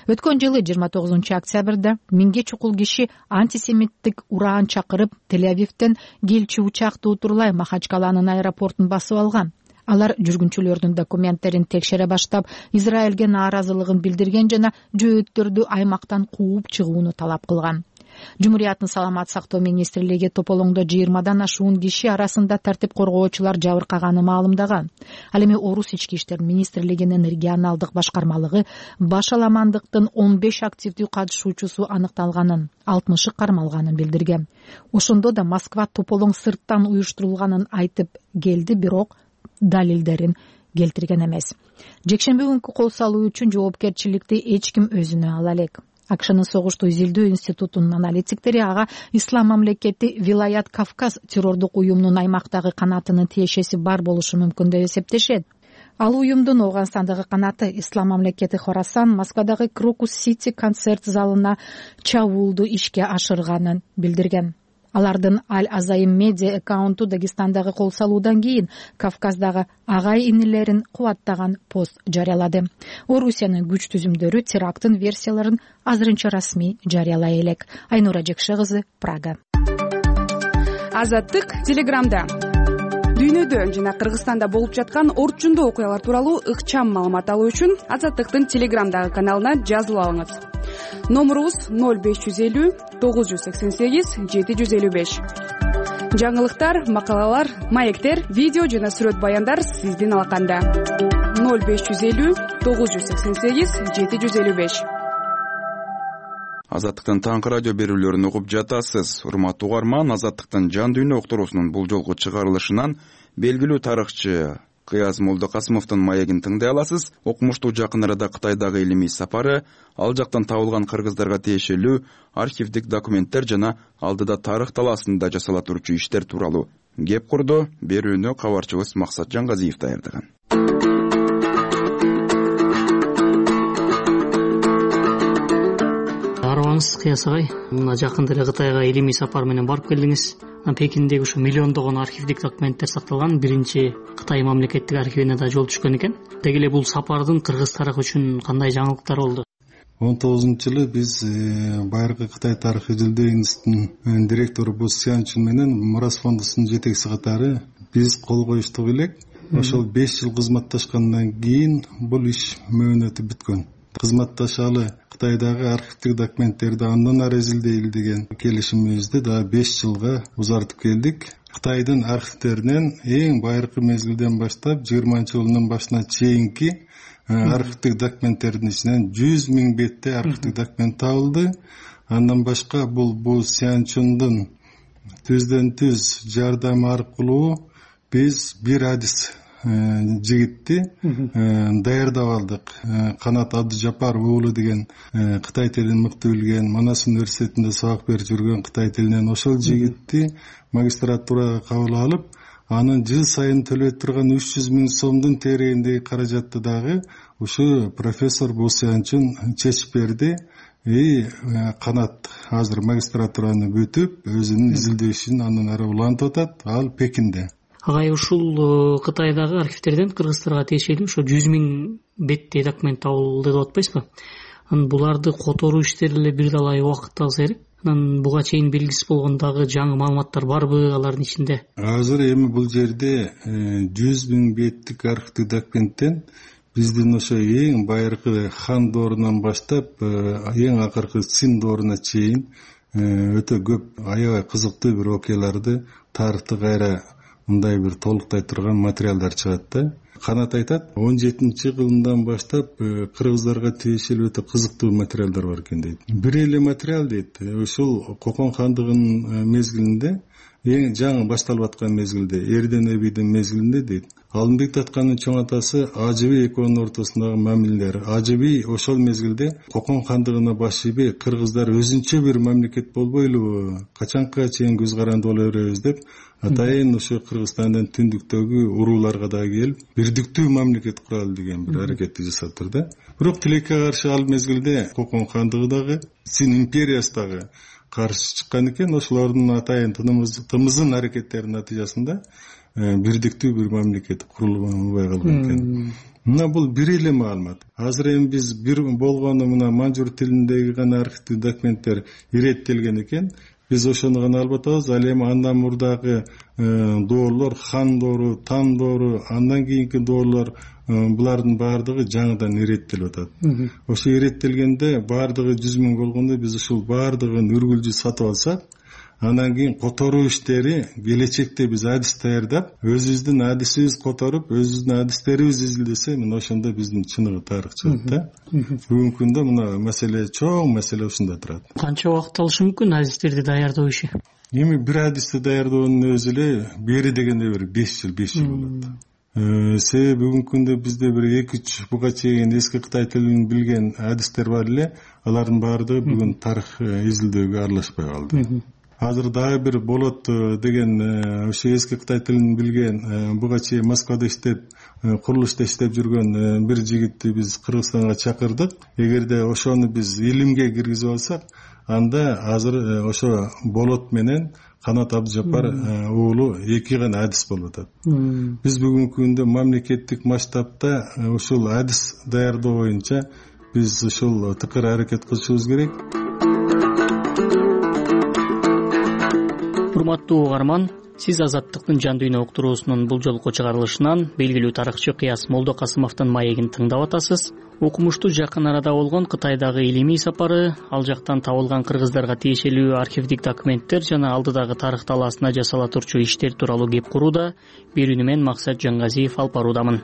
Speaker 1: Өткөн жылы 29 октябрда 1000 чукул киши антисемиттик ураан чакырып Тель-Авивден келчү учакты утурлай Махачкаланын аэропортун басып алган. Алар жүргүнчүлөрдүн документтерин текшере баштап, Израилге нааразылыгын билдирген жана жөөттөрдү аймактан кууп чыгууну талап кылган. Жумурияттын саламат сактоо министрлиги тополоңдо 20дан ашуун киши арасында тартип коргоочулар жабыркаганын маалымдаган. Ал эми Орус ички иштер министрлигинин регионалдык башкармалыгы баш аламандыктын 15 активдүү катышуучусу аныкталганын, 60-ы кармалганын билдирген. Ошондо да Москва тополоң сырттан уюштурулганын айтып келди, бирок далилдерин келтирген эмес. Жекшемби күнкү кол салуу үчүн жоопкерчиликти эч ким өзүнө ала элек. АКШнын согушту изилдөө институтунун аналитиктери ага Ислам мамлекети Вилаят Кавказ террордук уюмунун аймактагы канатынын тиешеси бар болушу мүмкүн деп эсептешет. Ал уюмдун Ооганстандагы канаты Ислам мамлекети Хорасан Москвадагы Крокус Сити концерт залына чабуулду ишке ашырганын билдирген. Алардын Аль-Азайм медиа аккаунту Дагестандагы кол салуудан кийин Кавказдагы агай-инилерин кубаттаган пост жарыялады. Орусиянын күч түзүмдөрү теракттын версияларын азырынча расмий жарыялай элек. Айнура Жекше кызы, Прага.
Speaker 19: Азаттык Телеграмда дүйнөдө жана Кыргызстанда болуп жаткан орчундуу окуялар тууралуу ыкчам маалымат алуу үчүн Азаттыктын Телеграмдагы каналына жазылып алыңыз. Номурубуз 0550 988 755. Жаңылыктар, макалалар, маектер, видео жана сүрөт баяндар сиздин алаканда. 0550 988 755.
Speaker 2: Азаттыктын таңкы радио берүүлөрүн угуп жатасыз. Урматтуу угарман, Азаттыктын жан дүйнө уктуруусунун бул жолку чыгарылышынан белгилүү тарыхчы Кыяз Молдокасымовдун маегин тыңдай аласыз. Окумуштуу жакын арада Кытайдагы илимий сапары, ал жактан табылган кыргыздарга тиешелүү архивдик документтер жана алдыда тарых талаасында жасала турчу иштер тууралуу кеп курду. Берүүнү кабарчыбыз Максат Жангазиев даярдаган.
Speaker 20: Арыбаңыз Кыяз агай, мына жакында эле Кытайга илимий сапар менен барып келдиңиз. Пекиндеги ушу миллиондогон архивдик документтер сакталган биринчи Кытай мамлекеттик архивине да жол түшкөн экен. Деги эле бул сапардын кыргыз тарыхы үчүн кандай жаңылыктар болду?
Speaker 21: 19-жылы биз байыркы Кытай тарыхы изилдөө институтунун директору Бу Сянчун менен Мурас фондусунун жетекчиси катары биз кол коюштук элек. Ошол 5 жыл кызматташкандан кийин бул иш мөөнөтү бүткөн. Кызматташалы Кытайдагы архивдик документтерди андан ары изилдейли деген келишимибизди да 5 жылга узартып келдик. Кытайдын архивтеринен эң байыркы мезгилден баштап 20-жылдын башына чейинки архивдик документтердин ичинен 100 000 бетте архивдик документ табылды. Андан башка бул Сянчундун түздөн түз жардамы аркылуу биз бир адис жигитти даярдап алдык. Канат Абдыжапар уулу деген Кытай тилин мыкты билген, Манас университетинде сабак берип жүргөн Кытай тилинен ошол жигитти магистратурага кабыл алып, анын жыл сайын төлөп турган 300 000 сомдун тереңиндеги каражатты дагы ушу профессор Бу Сянчун чечип берди. Канат азыр магистратураны бүтүп, өзүнүн изилдөө ишин андан ары улантып атат. Ал Пекинде.
Speaker 20: Агай, ушул Кытайдагы архивтерден кыргыздарга тиешелүү ошо 100 000 беттей документ табылды деп атпайсызбы? Буларды которуу иштери эле бир далай убакыт алса керек. Анан буга чейин белгисиз болгон дагы жаңы маалыматтар барбы алардын ичинде?
Speaker 21: Азыр эми бул жерде 100 000 беттик архивдик документтен биздин ошо эң байыркы хан доорунан баштап эң акыркы Цин дооруна чейин өтө көп аябай кызыктуу бир окуяларды тарыхты кайра мындай бир толуктай турган материалдар чыгат да. Канат айтат, 17-кылымдан баштап кыргыздарга тиешелүү өтө кызыктуу материалдар бар экен дейт. Бир эле материал дейт, ушул Кокон хандыгынын мезгилинде, эң жаңы башталып аткан мезгилде, Эрден Эбийдин мезгилинде дейт. Алымбек Таткандын чоң атасы Ажыби экөөнүн ортосундагы мамилелер. Ажыби ошол мезгилде Кокон хандыгына баш ийбей, кыргыздар өзүнчө бир мамлекет болбойлубу, качанга чейин көз каранды боло беребиз деп атайын ошо Кыргызстандын түндүктөгү урууларга да келип, бирдиктүү мамлекет куралы деген бир аракетти жасаптыр да. Бирок тилекке каршы ал мезгилде Кокон хандыгы дагы, Цин империясы дагы каршы чыккан экен. Ошолордун атайын тымызын аракеттеринин натыйжасында бирдиктүү бир мамлекет курулбай калган экен. Мына бул бир эле маалымат. Азыр эми биз бир болгону мына манжур тилиндеги гана архивдик документтер иреттелген экен. Биз ошону гана алып атабыз. Ал эми андан мурдагы доорлор, хан доору, Тан доору, андан кийинки доорлор, булардын баардыгы жаңыдан иреттелип атат. Ошо иреттелгенде баардыгы 100 000 болгондо биз ушул баардыгын үргүлжү сатып алсак, анан кийин которуу иштери келечекте биз адис даярдап, өзүбүздүн адисибиз которуп, өзүбүздүн адистерибиз изилдесе, мына ошондо биздин чыныгы тарых чыгат да. Бүгүнкү күндө мына маселе, чоң маселе ушунда турат.
Speaker 20: Канча убакыт алышы мүмкүн адистерди даярдоо иши?
Speaker 21: Эми бир адисти даярдоонун өзү эле бери дегенде бир 5 жыл болот. Себеби бүгүнкү күндө бизде бир 2-3 буга чейин эски Кытай тилин билген адистер бар эле, алардын баардыгы бүгүн тарых изилдөөгө аралашпай калды. Азыр дагы бир болот деген ошо эски Кытай тилин билген, буга чейин Москвада иштеп, курулушта иштеп жүргөн бир жигитти биз Кыргызстанга чакырдык. Эгерде ошону биз илимге киргизип алсак, анда азыр ошо болот менен Канат Абдыжапар уулу эки гана адис болуп атат. Биз бүгүнкү күндө мамлекеттик масштабта ушул адис даярдоо боюнча биз ушул тыкыр аракет кылышыбыз керек.
Speaker 20: урматтуу угарман, сиз Азаттыктын жан дүйнө уктуруусунун бул жолку чыгарылышынан белгилүү тарыхчы Кыяс Молдокасымовдун маегин тыңдап атасыз. Окумуштуу жакын арада болгон Кытайдагы илимий сапары, ал жактан табылган кыргыздарга тиешелүү архивдик документтер жана алдыдагы тарых талаасына жасала турчу иштер тууралуу кеп курууда берүүнү мен Максат Жаңгазиев алып баруудамын.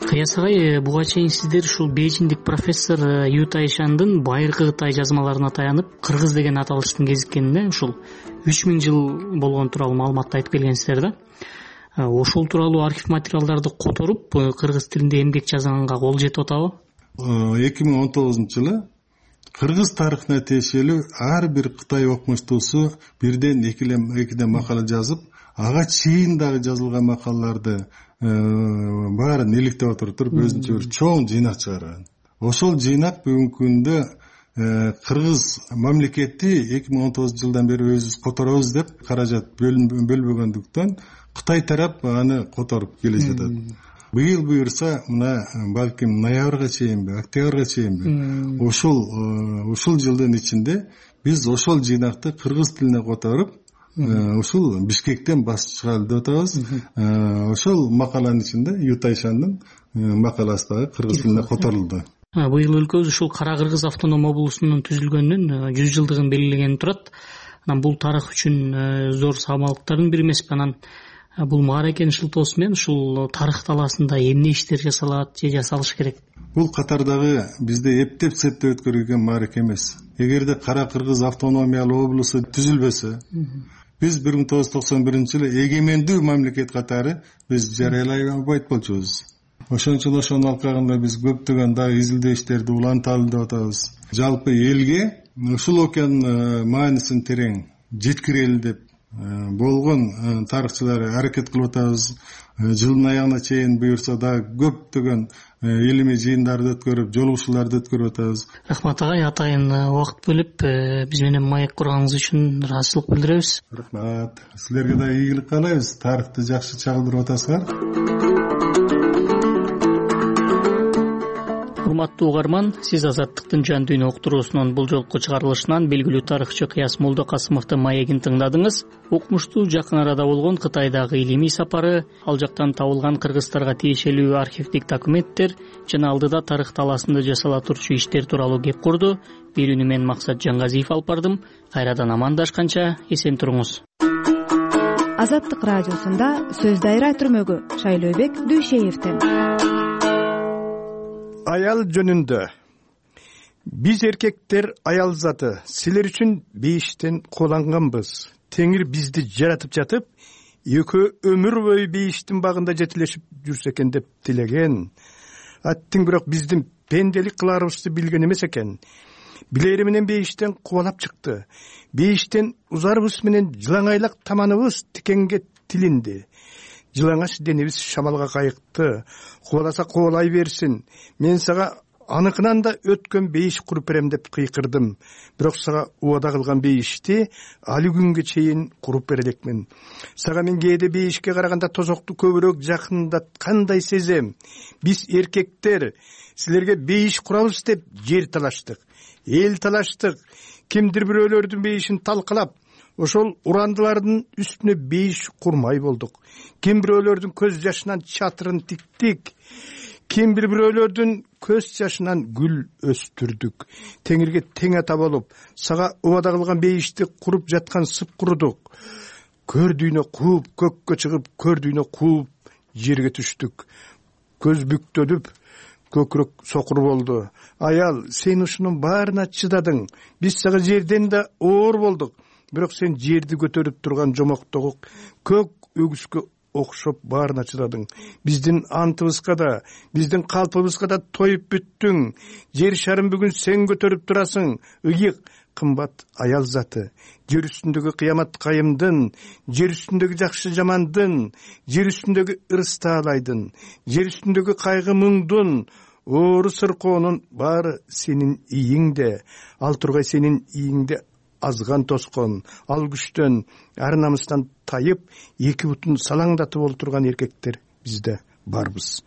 Speaker 20: Кыяс агай, буга чейин сиздер ушул бейжиңдик профессор Ю Тайшандын байыркы Кытай жазмаларына таянып, кыргыз деген аталыштын кезиккенине ушул 3000 жыл болгон тууралуу маалыматты айтып келгенсиздер да. Ошол тууралуу архив материалдарды которуп, кыргыз тилинде эмгек жазганга кол жетип атабы?
Speaker 21: 2019-жылы кыргыз тарыхына тиешелүү ар бир Кытай окумуштуусу бирден экиден макала жазып, ага чейин дагы жазылган макалаларды баарын иликтеп отуруп өзүнчө бир чоң жыйнак чыгарган. Ошол жыйнак бүгүнкү күндө кыргыз мамлекети 2019 жылдан бери өзүбүз которобуз деп каражат бөлбөгөндүктөн Кытай тарап аны которуп келе жатат. Быйыл буюрса, мына балким ноябрга чейинби, октябрга чейинби ушул жылдын ичинде биз ошол жыйнакты кыргыз тилине которуп, ушул Бишкектен басып чыгалы деп атабыз. Ошол макаланын ичинде Ю Тайшандын макаласы дагы кыргыз тилине которулду.
Speaker 20: Быйыл өлкөбүз ушул Кара Кыргыз автоном облусунун түзүлгөнүнүн 100 жылдыгын белгилегени турат. Анан бул тарых үчүн зор самалыктардын бири эмеспи? Анан бул мааракенин шылтоосу менен ушул тарых талаасында эмне иштер жасалат же жасалыш керек?
Speaker 21: Бул катардагы бизде эптеп септеп өткөрүлгөн маараке эмес. Эгерде Кара Кыргыз автономиялуу облусу түзүлбөсө, биз 1991-жылы эгемендүү мамлекет катары биз жарыялай албайт болчубуз. Ошон үчүн ошонун алкагында биз көптөгөн дагы изилдөө иштерди уланталы деп атабыз. Жалпы элге ушул окуянын маанисин терең жеткирели деп болгон тарыхчылар аракет кылып атабыз. Жылдын аягына чейин буюрса дагы көптөгөн илимий жыйындарды өткөрүп, жолугушууларды өткөрүп атабыз.
Speaker 20: Рахмат агай, атайын убакыт бөлүп биз менен маек курганыңыз үчүн ыраазычылык билдиребиз.
Speaker 21: Рахмат. Силерге да ийгилик каалайбыз. Тарыхты жакшы чагылдырып атасыңар.
Speaker 20: Урматтуу угарман, сиз Азаттыктын жан дүйнө уктуруусунун бул жолку чыгарылышынан белгилүү тарыхчы Кыяс Молдокасымовдун маегин тыңдадыңыз. Окумуштуу жакын арада болгон Кытайдагы илимий сапары, ал жактан табылган кыргыздарга тиешелүү архивдик документтер жана алдыда тарых талаасында жасала турчу иштер тууралуу кеп курду. Берүүнү мен Максат Жаңгазиев алып бардым. Кайрадан амандашканча эсен туруңуз.
Speaker 9: Азаттык радиосунда сөз дайра түрмөгү Шайлообек Дүйшеевден.
Speaker 22: Аял жөнүндө. Биз эркектер аял заты, силер үчүн бейиштен кууланганбыз. Теңир бизди жаратып жатып, экөө өмүр бою бейиштин багында жетилешип жүрсө экен деп тилеген. Аттың бирок биздин пенделик кыларыбызды билген эмес экен. Билери менен бейиштен кубалап чыкты. Бейиштен узарыбыз менен жылаңайлак таманыбыз тикенге тилинди. Жылаңаш денебиз шамалга кайыкты. Кубаласа кубалай берсин. Мен сага аныкынан да өткөн бейиш куруп берем деп кыйкырдым. Бирок сага убада кылган бейишти али күнгө чейин куруп бере элекмин. Сага мен кээде бейишке караганда тозокту көбүрөөк жакындаткандай сезем. Биз эркектер силерге бейиш курабыз деп жер талаштык, эл талаштык. Кимдир бирөөлөрдүн бейишин талкалап, ошол урандылардын үстүнө бейиш курмай болдук. Ким бирөөлөрдүн көз жашынан чатырын тиктик. Ким бирөөлөрдүн көз жашынан гүл өстүрдүк. Теңирге тең ата болуп, сага убада кылган бейишти куруп жаткан сып курудук. Көрдүйнө кууп, көккө чыгып, көрдүйнө кууп, жерге түштүк. Көз бүктөлүп, көкүрөк сокур болду. Аял, сен ушунун баарына чыдадың. Биз сага жерден да оор болдук. Бирок сен жерди көтөрүп турган жомоктогу көк өгүскө окшоп баарына чыдадың. Биздин антыбызга да, биздин калпыбызга да тоюп бүттүң. Жер шарын бүгүн сен көтөрүп турасың. Ыйык, кымбат аял заты. Жер үстүндөгү кыямат кайымдын, жер үстүндөгү жакшы жамандын, жер үстүндөгү ырыс таалайдын, жер үстүндөгү кайгы муңдун, оору сыркоонун баары сенин ийиңде. Ал тургай сенин ийиңде азган тоскон, ал күчтөн, ар намыстан тайып, эки бутун салаңдатып олтурган эркектер бизде барбыз.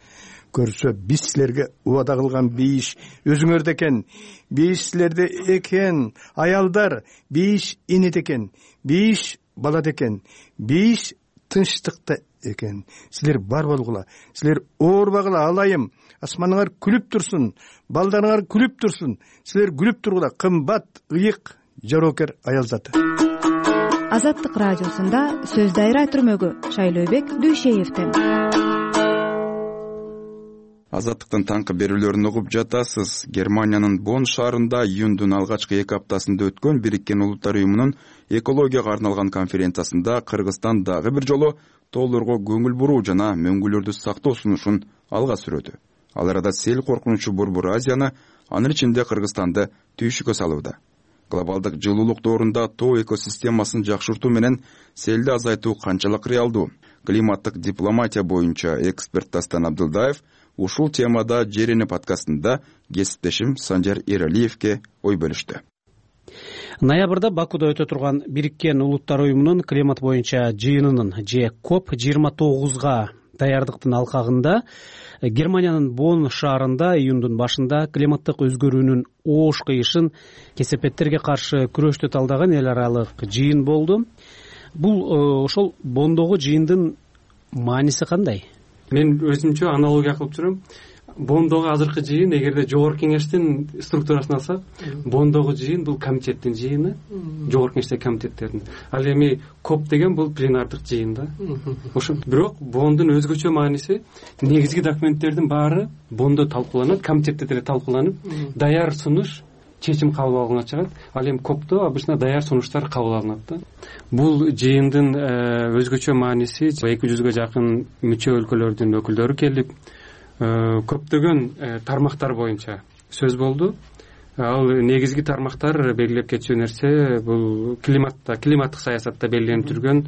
Speaker 22: көрсө биз силерге убада кылган бейиш өзүңөрдө экен. Бейиш силерде экен. Аялдар, бейиш энеде экен. Бейиш балада экен. Бейиш тынчтыкта экен. Силер бар болгула. Силер оорбагыла, алайым. Асманыңар күлүп турсун. Балдарыңар күлүп турсун. Силер күлүп тургула. Кымбат, ыйык, жоокер аял заты.
Speaker 9: Азаттык радиосунда сөз дайра түрмөгү Шайлообек Дүйшеевден.
Speaker 2: Азаттыктын таңкы берүүлөрүн угуп жатасыз. Германиянын Бонн шаарында июндун алгачкы 2 аптасында өткөн Бириккен Улуттар уюмунун экологияга арналган конференциясында Кыргызстан дагы бир жолу тоолорго көңүл буруу жана мөңгүлөрдү сактоо сунушун алга сүрөдү. Ал арада сел коркунучу Борбор Азияны, анын ичинде Кыргызстанды түйшүккө салууда. Глобалдык жылуулук доорунда тоо экосистемасын жакшыртуу менен селди азайтуу канчалык реалдуу? Климаттык дипломатия боюнча эксперт Дастан Абдылдаев ушул темада Жерени подкастында кесиптешим Санжар Эралиевке ой бөлүштү.
Speaker 7: Ноябрда Бакууда өтө турган Бириккен Улуттар уюмунун климат боюнча жыйынынын же COP29га даярдыктын алкагында Германиянын Бонн шаарында июндун башында климаттык өзгөрүүнүн оош кыйышын кесепеттерге каршы күрөштү талдаган эл аралык жыйын болду. Бул ошол Бонндогу жыйындын мааниси кандай?
Speaker 10: Мен өзүмчө аналогия кылып жүрөм. Бонндогу азыркы жыйын эгерде жогорку кеңештин структурасын алсак, Бонндогу жыйын бул комитеттин жыйыны, жогорку кеңештеги комитеттердин. Ал эми COP деген бул пленардык жыйын да. Ошо бирок Бонндун өзгөчө мааниси негизги документтердин баары Бонндо талкууланат, комитетте деле талкууланып, даяр сунуш чечим кабыл алынганга чыгат. Ал эми COPто обычно даяр сунуштар кабыл алынат да. Бул жыйындын өзгөчө мааниси 200га жакын мүчө өлкөлөрдүн өкүлдөрү келип, көптөгөн тармактар боюнча сөз болду. Ал негизги тармактар белгилеп кетчү нерсе бул климаттык саясатта белгиленип жүргөн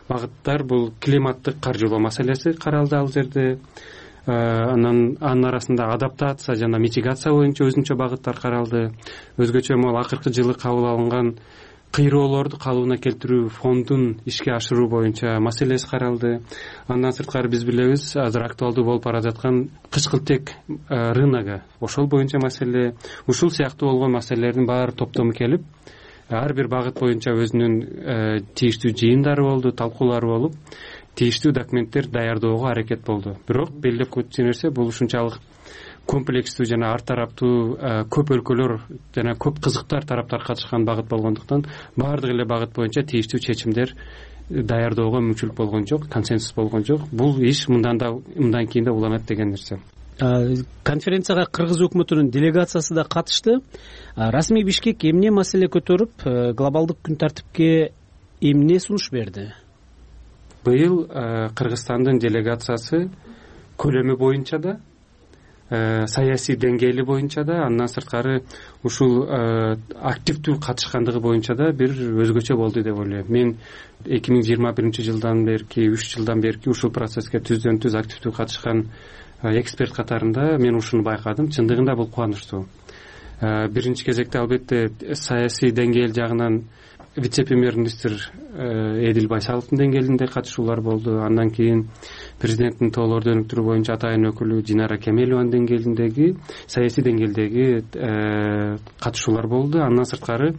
Speaker 10: багыттар, бул климаттык каржылоо маселеси каралды ал жерде. Анын арасында адаптация жана митигация боюнча өзүнчө багыттар каралды. Өзгөчө могу акыркы жылы кабыл алынган кыйроолорду калыбына келтирүү фондун ишке ашыруу боюнча маселеси каралды. Андан сырткары биз билебиз, азыр актуалдуу болуп бара жаткан кычкылтек рыногу, ошол боюнча маселе, ушул сыяктуу болгон маселелердин баары топтому келип, ар бир багыт боюнча өзүнүн тийиштүү жыйындары болду, талкуулары болуп, тийиштүү документтер даярдоого аракет болду. Бирок белгилеп кетчү нерсе бул ушунчалык комплекстүү жана ар тараптуу көп өлкөлөр жана көп кызыктар тараптар катышкан багыт болгондуктан баардык эле багыт боюнча тийиштүү чечимдер даярдоого мүмкүнчүлүк болгон жок, консенсус болгон жок. Бул иш мындан кийин да уланат деген нерсе.
Speaker 7: Конференцияга Кыргыз өкмөтүнүн делегациясы да катышты. Расмий Бишкек эмне маселе көтөрүп, глобалдык күн тартипке эмне сунуш берди?
Speaker 10: Быйыл Кыргызстандын делегациясы көлөмү боюнча да, саясий деңгээли боюнча да, андан сырткары ушул активдүү катышкандыгы боюнча да бир өзгөчө болду деп ойлойм. Мен 2021 берки 3 жылдан берки ушул процесске түздөн түз активдүү катышкан эксперт катарында мен ушуну байкадым. Чындыгында бул кубанычтуу. Биринчи кезекте албетте саясий деңгээл жагынан вице-премьер-министр Эдил Байсаловдун деңгээлинде катышуулар болду. Андан кийин президенттин тоолорду өнүктүрүү боюнча атайын өкүлү Динара Кемелованын деңгээлиндеги саясий деңгээлдеги катышуулар болду. Андан сырткары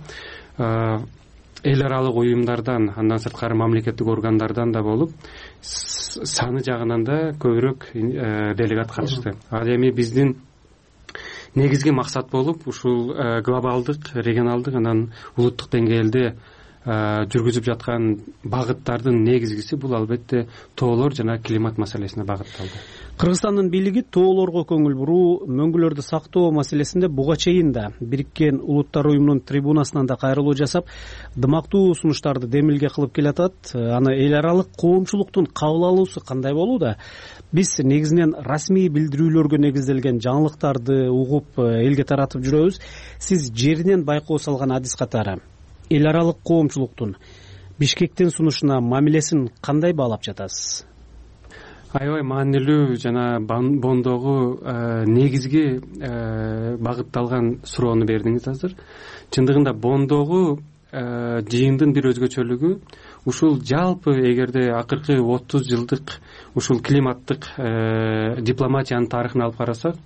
Speaker 10: эл аралык уюмдардан, андан сырткары мамлекеттик органдардан да болуп, саны жагынан да көбүрөөк делегат катышты. Ал эми биздин негизги максат болуп ушул глобалдык, регионалдык, анан улуттук деңгээлде жүргүзүп жаткан багыттардын негизгиси бул албетте тоолор жана климат маселесине багытталды.
Speaker 7: Кыргызстандын бийлиги тоолорго көңүл буруу, мөңгүлөрдү сактоо маселесинде буга чейин да Бириккен Улуттар уюмунун трибунасынан да кайрылуу жасап, дымактуу сунуштарды демилге кылып келатат. Аны эл аралык коомчулуктун кабыл алуусу кандай болууда? Биз негизинен расмий билдирүүлөргө негизделген жаңылыктарды угуп элге таратып жүрөбүз. Сиз жеринен байкоо салган адис катары эл аралык коомчулуктун Бишкектин сунушуна мамилесин кандай баалап жатасыз?
Speaker 10: Аябай маанилүү жана Бонндогу негизги багытталган суроону бердиңиз азыр. Чындыгында Бонндогу жыйындын бир өзгөчөлүгү ушул жалпы эгерде акыркы 30 жылдык ушул климаттык дипломатиянын тарыхын алып карасак,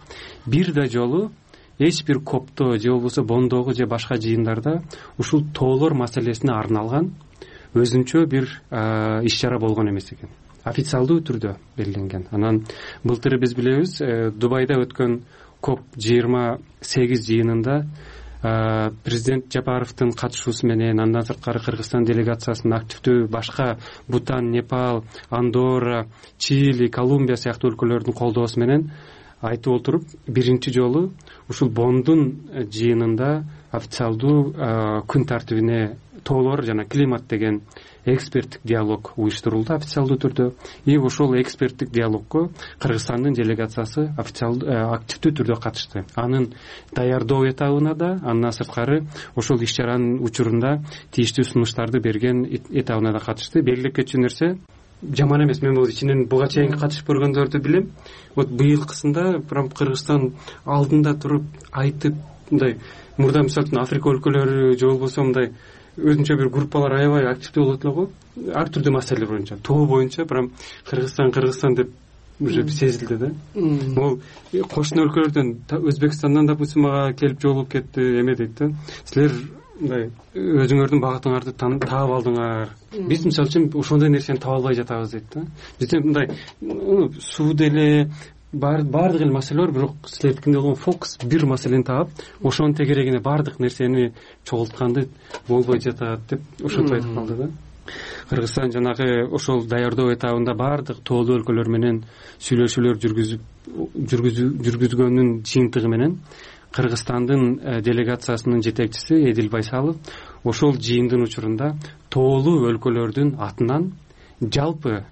Speaker 10: бир да жолу эч бир копто же болбосо бондогу же башка жыйындарда ушул тоолор маселесине арналган өзүнчө бир иш чара болгон эмес экен. Официалдуу түрдө белгиленген. Анан былтыр биз билебиз, Дубайда өткөн COP28 жыйынында президент Жапаровдун катышуусу менен, андан сырткары Кыргызстан делегациясынын активдүү башка Бутан, Непал, Андорра, Чили, Колумбия сыяктуу өлкөлөрдүн колдоосу менен айтып отуруп, биринчи жолу ушул Бондун жыйынында официалдуу күн тартибине тоолор жана климат деген эксперттик диалог уюштурулду официалдуу түрдө. И ошол эксперттик диалогко Кыргызстандын делегациясы активдүү түрдө катышты. Анын даярдоо этабына да, андан сырткары ошол иш чаранын учурунда тийиштүү сунуштарды берген этабына да катышты. Белгилеп кетчү нерсе жаман эмес. Мен бул ичинен буга чейин катышып көргөндөрдү билем. Вот быйылкысында прям Кыргызстан алдында туруп айтып, мындай мурда мисалы үчүн Африка өлкөлөрү же болбосо мындай өзүнчө бир группалар аябай активдүү болот эле го. Ар түрдүү маселелер боюнча, тоо боюнча прям Кыргызстан деп уже сезилди да. Могу кошуна өлкөлөрдөн, Өзбекстандан, допустим, мага келип жолугуп кетти, эме дейт да. Силер мындай өзүңөрдүн багытыңарды таап алдыңар. Биз мисалы үчүн ошондой нерсени таба албай жатабыз дейт да. Бизде мындай суу деле баардык эле маселе бар, бирок силердикинде болгон фокус бир маселени таап, ошонун тегерегине баардык нерсени чогултканды болбой жатат деп ошентип айтып калды да. Кыргызстан жанагы ошол даярдоо этабында баардык тоолуу өлкөлөр менен сүйлөшүүлөр жүргүзгөндүн жыйынтыгы менен Кыргызстандын делегациясынын жетекчиси Эдил Байсалов ошол жыйындын учурунда тоолуу өлкөлөрдүн атынан жалпы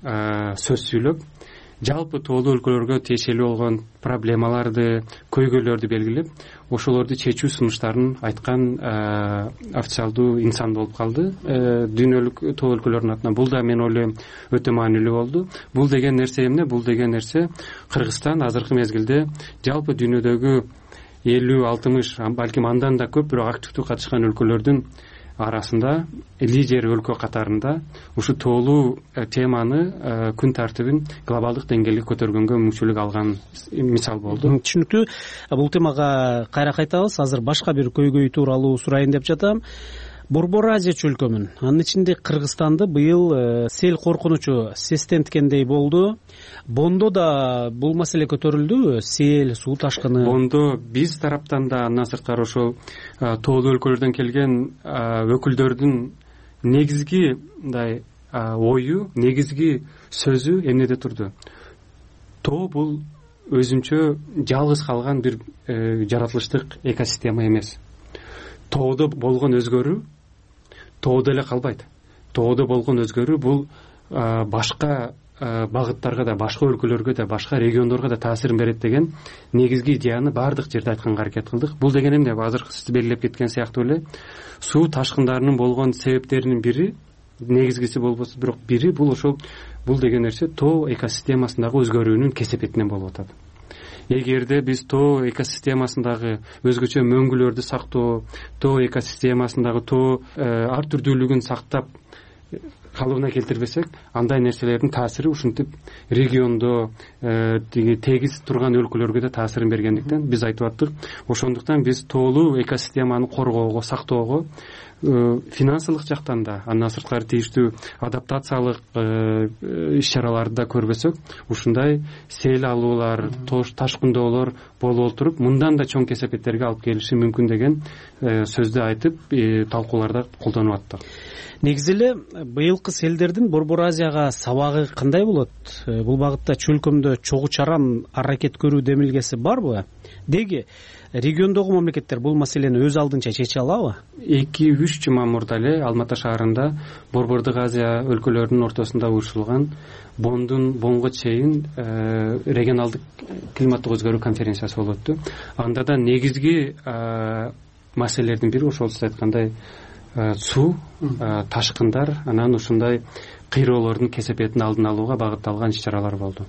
Speaker 10: сөз сүйлөп, жалпы тоолуу өлкөлөргө тиешелүү болгон проблемаларды, көйгөйлөрдү белгилеп, ошолорду чечүү сунуштарын айткан официалдуу инсан болуп калды дүйнөлүк тоо өлкөлөрдүн атынан. Бул да мен ойлойм өтө маанилүү болду. Бул деген нерсе эмне? Бул деген нерсе Кыргызстан азыркы мезгилде жалпы дүйнөдөгү 50-60, балким андан да көп, бирок активдүү катышкан өлкөлөрдүн арасында лидер өлкө катарында ушу тоолуу теманы, күн тартибин глобалдык деңгээлге көтөргөнгө мүмкүнчүлүк алган мисал болду.
Speaker 7: Түшүнүктүү. Бул темага кайра кайтабыз. Азыр башка бир көйгөй тууралуу сурайын деп жатам. Борбор Азия чөлкөмүн, анын ичинде Кыргызстанды быйыл сел коркунучу сестенткендей болду. Бондо да бул маселе көтөрүлдүбү? Сел, суу ташкыны.
Speaker 10: Бондо биз тараптан да, андан сырткары ошол тоолуу өлкөлөрдөн келген өкүлдөрдүн негизги мындай ою, негизги сөзү эмнеде турду? Тоо бул өзүнчө жалгыз калган бир жаратылыштык экосистема эмес. Тоодо болгон өзгөрүү тоодо эле калбайт. Тоодо болгон өзгөрүү бул башка багыттарга да, башка өлкөлөргө да, башка региондорго да таасирин берет деген негизги идеяны баардык жерде айтканга аракет кылдык. Бул деген эмне? Азыр сиз белгилеп кеткен сыяктуу эле суу ташкындарынын болгон себептеринин бири, негизгиси болбосо бирок бири, бул ошол бул деген нерсе тоо экосистемасындагы өзгөрүүнүн кесепетинен болуп атат. Эгерде биз тоо экосистемасындагы өзгөчө мөңгүлөрдү сактоо, тоо экосистемасындагы тоо ар түрдүүлүгүн сактап калыбына келтирбесек, андай нерселердин таасири ушинтип региондо тегиз турган өлкөлөргө да таасирин бергендиктен биз айтып аттык. Ошондуктан биз тоолуу экосистеманы коргоого, сактоого финансылык жактан да, андан сырткары тийиштүү адаптациялык иш чараларды да көрбөсөк, ушундай сел алуулар, ташкындоолор болуп отуруп, мындан да чоң кесепеттерге алып келиши мүмкүн деген сөздү айтып, талкууларда колдонуп аттык.
Speaker 7: Негизи эле быйылкы селдердин Борбор Азияга сабагы кандай болот? Бул багытта чөлкөмдө чогуу чаран аракет көрүү демилгеси барбы? Деги региондогу мамлекеттер бул маселени өз алдынча чече алабы?
Speaker 10: 2-3 жума мурда эле Алматы шаарында Борбордук Азия өлкөлөрүнүн ортосунда уюштурулган Бонго чейин регионалдык климаттык өзгөрүү конференциясы болуп өттү. Анда да негизги маселелердин бири ошол сиз айткандай суу, ташкындар, анан ушундай кыйроолордун кесепетин алдын алууга багытталган иш чаралар болду.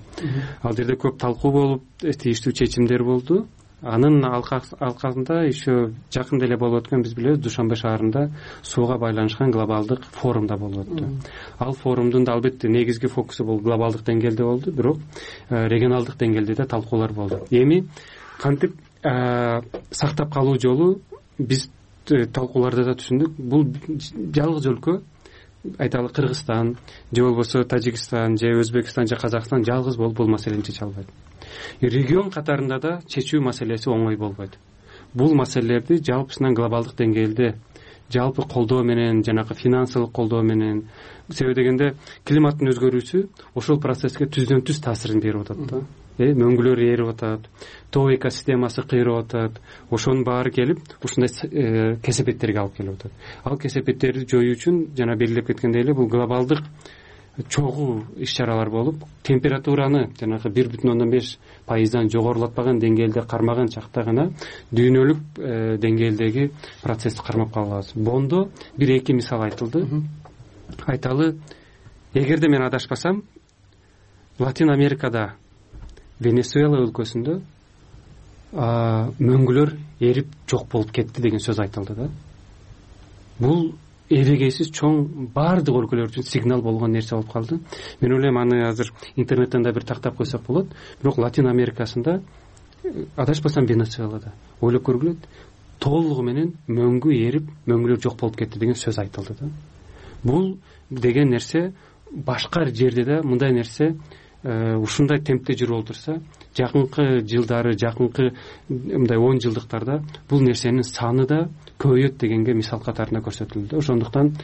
Speaker 10: Ал жерде көп талкуу болуп, тийиштүү чечимдер болду. анын алкагында еще жакында эле болуп өткөн, биз билебиз, Душанбе шаарында сууга байланышкан глобалдык форумда болуп өттү. Ал форумдун да албетте негизги фокусу бул глобалдык деңгээлде болду, бирок регионалдык деңгээлде да талкуулар болду. Эми кантип сактап калуу жолу биз талкууларда да түшүндүк. Бул жалгыз өлкө, айталы Кыргызстан же болбосо Тажикстан же Өзбекстан же Казакстан жалгыз болуп бул маселени чече албайт. Регион катарында да чечүү маселеси оңой болбойт. Бул маселелерди жалпысынан глобалдык деңгээлде жалпы колдоо менен, жанагы финансылык колдоо менен, себеби дегенде климаттын өзгөрүүсү ошол процесске түздөн түз таасирин берип атат да. Мөңгүлөр эрип атат, тоо экосистемасы кыйрап атат. Ошонун баары келип ушундай кесепеттерге алып келип атат. Ал кесепеттерди жоюу үчүн жана белгилеп кеткендей эле бул глобалдык чогуу иш-чаралар болуп, температураны жанагы 1,5% жогорулатпаган деңгээлде кармаган чакта гана дүйнөлүк деңгээлдеги процессти кармап кала алабыз. Бондо 1-2 мисал айтылды. Айталы, эгерде мен адашпасам, Латин Америкада, Венесуэла өлкөсүндө мөңгүлөр эрип жок болуп кетти деген сөз айтылды да. Бул эбегейсиз чоң баардык өлкөлөр үчүн сигнал болгон нерсе болуп калды. Мен ойлойм, аны азыр интернеттен да бир тактап койсок болот. Бирок Латин Америкасында, адашпасам Венесуэлада, ойлоп көргүлө, толугу менен мөңгү эрип, мөңгүлөр жок болуп кетти деген сөз айтылды да. Бул деген нерсе башка жерде да мындай нерсе ушундай темпте жүрүп отурса, жакынкы жылдары, жакынкы мындай 10 жылдыктарда бул нерсенин саны да көбөйөт дегенге мисал катарында көрсөтүлдү. Ошондуктан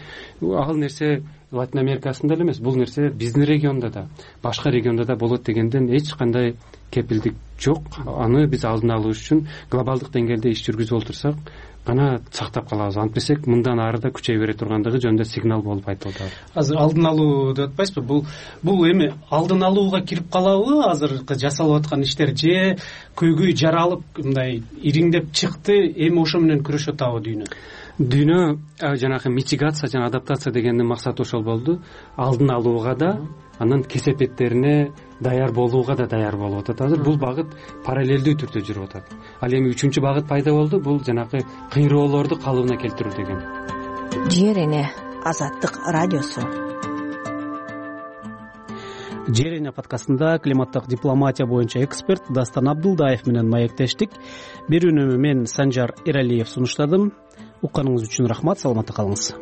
Speaker 10: ал нерсе Латин Америкасында эле эмес, бул нерсе биздин региондо да, башка региондо да болот дегенден эч кандай кепилдик жок. Аны биз алдын алуу үчүн глобалдык деңгээлде иш жүргүзүп отурсак гана сактап калабыз. Антпесек мындан ары да күчөй бере тургандыгы жөнүндө сигнал болуп айтылды.
Speaker 7: Азыр алдын алуу деп атпайсызбы? Бул эми алдын алууга кирип калабы азыркы жасалып аткан иштер, же көйгөй жаралып мындай ириңдеп чыкты, эми ошо менен күрөшүп атабы дүйнө? Дүйнө жанагы митигация жана адаптация дегендин максаты ошол болду. Алдын алууга да, анын кесепеттерине даяр болууга да даяр болуп атат. Азыр бул багыт параллелдүү түрдө жүрүп атат. Ал эми 3-чү багыт пайда болду. Бул жанагы кыйроолорду калыбына келтирүү деген.
Speaker 3: Жер эне Азаттык радиосу.
Speaker 7: Жер эне подкастында климаттык дипломатия боюнча эксперт Дастан Абдулдаев менен маектештик. Берүүнү мен Санжар Эралиев сунуштадым. Укканыңыз үчүн рахмат, саламатта калыңыз.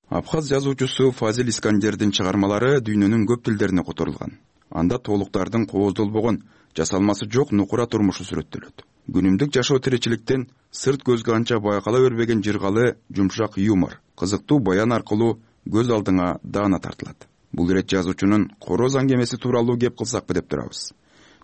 Speaker 2: Абхаз жазуучусу Фазил Искандердин чыгармалары дүйнөнүн көп тилдерине которулган. Анда толуктардын кооздолбогон, жасалмасы жок нукура турмушу сүрөттөлөт. Күнүмдүк жашоо тиричиликтен сырт көзгө анча байкала бербеген жыргалы, жумшак юмор, кызыктуу баян аркылуу көз алдыңа даана тартылат. Бул ирет жазуучунун короз аңгемеси тууралуу кеп кылсакпы деп турабыз.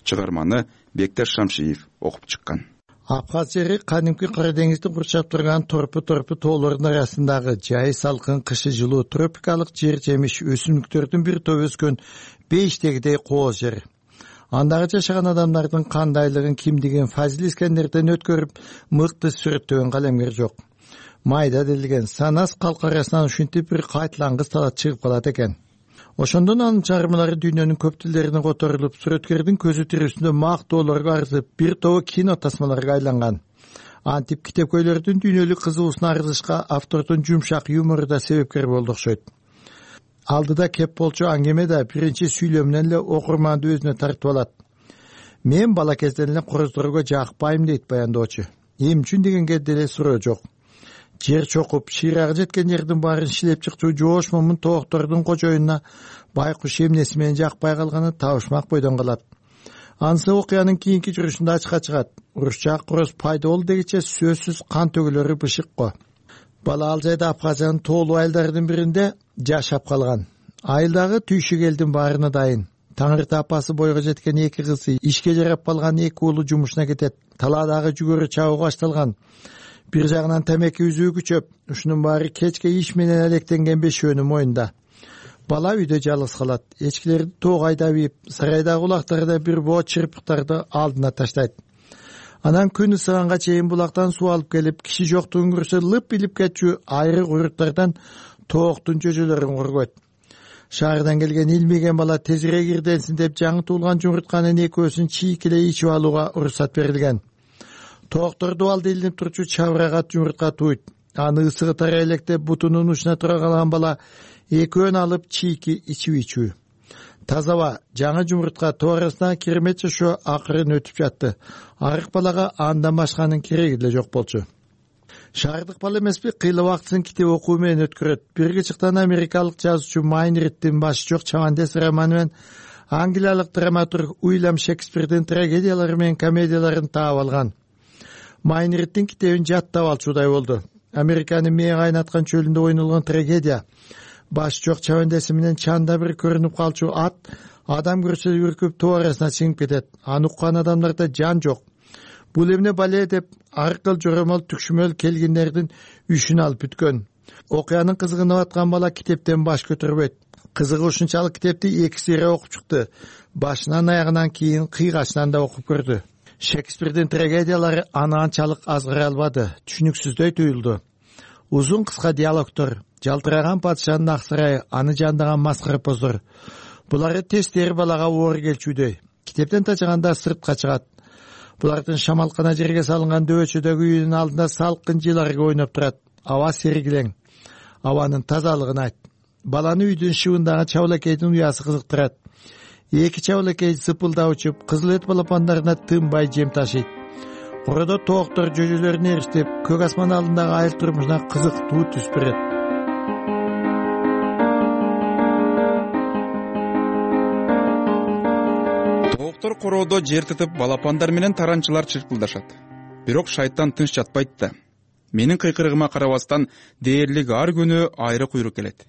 Speaker 2: Чыгарманы Бекташ Шамшиев окуп чыккан.
Speaker 22: Абхаз жери кадимки Кара деңизди курчап турган торпу тоолордун арасындагы жай салкын, кышы жылуу тропикалык жер жемиш өсүмдүктөрдүн бир топ өскөн бейиштегидей кооз жер. Андагы жашаган адамдардын кандайлыгын, кимдигин Фазил Искандерден өткөрүп мыкты сүрөттөгөн калемгер жок. Майда делген санас калк арасынан ушинтип бир кайтылангыс талат чыгып калат экен. Ошондон анын чыгармалары дүйнөнүн көп тилдерине которулуп, сүрөткөрдүн көзү тирүүсүндө мактоолорго арзып, бир тобу кино тасмаларга айланган. Антип китепкөйлөрдүн дүйнөлүк кызыгуусуна арзышка автордун жумшак юмору да себепкер болду окшойт. Алдыда кеп болчу аңгеме да биринчи сүйлөмүнөн эле окурманды өзүнө тартып алат. Мен бала кезден эле короздорго жакпайм дейт баяндоочу. Эмне үчүн дегенге деле суроо жок. Жер чокуп, шыйрагы жеткен жердин баарын шилеп чыкчу жоош момун тооктордун кожоюнуна байкуш эмнеси менен жакпай калганы табышмак бойдон калат. Анысы окуянын кийинки жүрүшүндө ачыкка чыгат. Урушчак короз пайда болду дегиче сөзсүз кан төгүлөрү бышык го. Бала ал жайда Абхазиянын тоолуу айылдардын биринде жашап калган. Айылдагы түйшүк элдин баарына дайын. Таңырта апасы бойго жеткен эки кызы, ишке жарап калган эки уулу жумушуна кетет. Талаадагы жүгөрү чабуу башталган. Бир жагынан темеки үзүү күчөп, ушунун баары кечке иш менен алектенген бешөөнүн моюнда. Бала үйдө жалгыз калат. Эчкилерди тоого айдап ийип, сарайдагы улактарда бир боо чырпыктарды алдына таштайт. Анан күн ысыганга чейин булактан суу алып келип, киши жоктугун көрсө лып илип кетчү айрык уйруттардан тооктун жөжөлөрүн коргойт.
Speaker 11: Шаардан келген илмеген бала тезирээк ирденсин деп жаңы туулган жумуртканын экөөсүн чийкилей ичип алууга уруксат берилген. Тооктор дубалды илинип турчу чабырага жумуртка тууйт. Аны ысыгы тарай электе бутунун учуна тура калган бала экөөнү алып чийки ичип ичүү. Тазаба жаңы жумуртка тоорасына кирмет жашоо акырын өтүп жатты. Арык балага андан башканын кереги деле жок болчу. Шаардык бала эмеспи, кыйла убактысын китеп окуу менен өткөрөт. Бирге чыктан америкалык жазуучу Майнриттин башы жок чабандес романы менен англиялык драматург Уильям Шекспирдин трагедиялары менен комедияларын таап алган. Майнриттин китебин жаттап алчудай болду. Американын мээ кайнаткан чөлүндө ойнолгон трагедия. Башы жок чабандеси менен чанда бир көрүнүп калчу ат адам көрсө үркүп тоо арасына чыгып кетет. Аны уккан адамдарда жан жок. Бул эмне бале деп аркыл жоромол түкшүмөл келгиндердин үшүн алып бүткөн. Окуянын кызыгынып аткан бала китептен баш көтөрбөйт. Кызыгы ушунчалык китепти 2 сыйра окуп чыкты. Башынан аягынан кийин кыйгачынан да окуп көрдү. Шекспирдин трагедиялары аны анчалык азгыра албады, түшүнүксүздөй туюлду. Узун кыска диалогдор, жалтыраган падышанын ак сарайы, аны жандаган маскарапоздор. Булары тестери балага оор келчүдөй. Китептен тажаганда сыртка чыгат. Булардын шамалкана жерге салынган дөбөчөдөгү үйүнүн алдында салкын жыл аргы ойноп турат. Аба сергилең. Абанын тазалыгын айт. Баланы үйдүн шыбындагы чабылакейдин уясы кызыктырат. 2 чабылакей зыпылдап учуп, кызыл эт балапандарына тынбай жем ташыйт. Кородо тооктор жөжөлөрүн эриштип, көк асман алдындагы айыл турмушуна кызыктуу түс берет.
Speaker 2: Тооктор короодо жер тытып, балапандар менен таранчылар чыркылдашат. Бирок шайтан тынч жатпайт да. Менин кыйкырыгыма карабастан дээрлик ар күнү айры куйрук келет.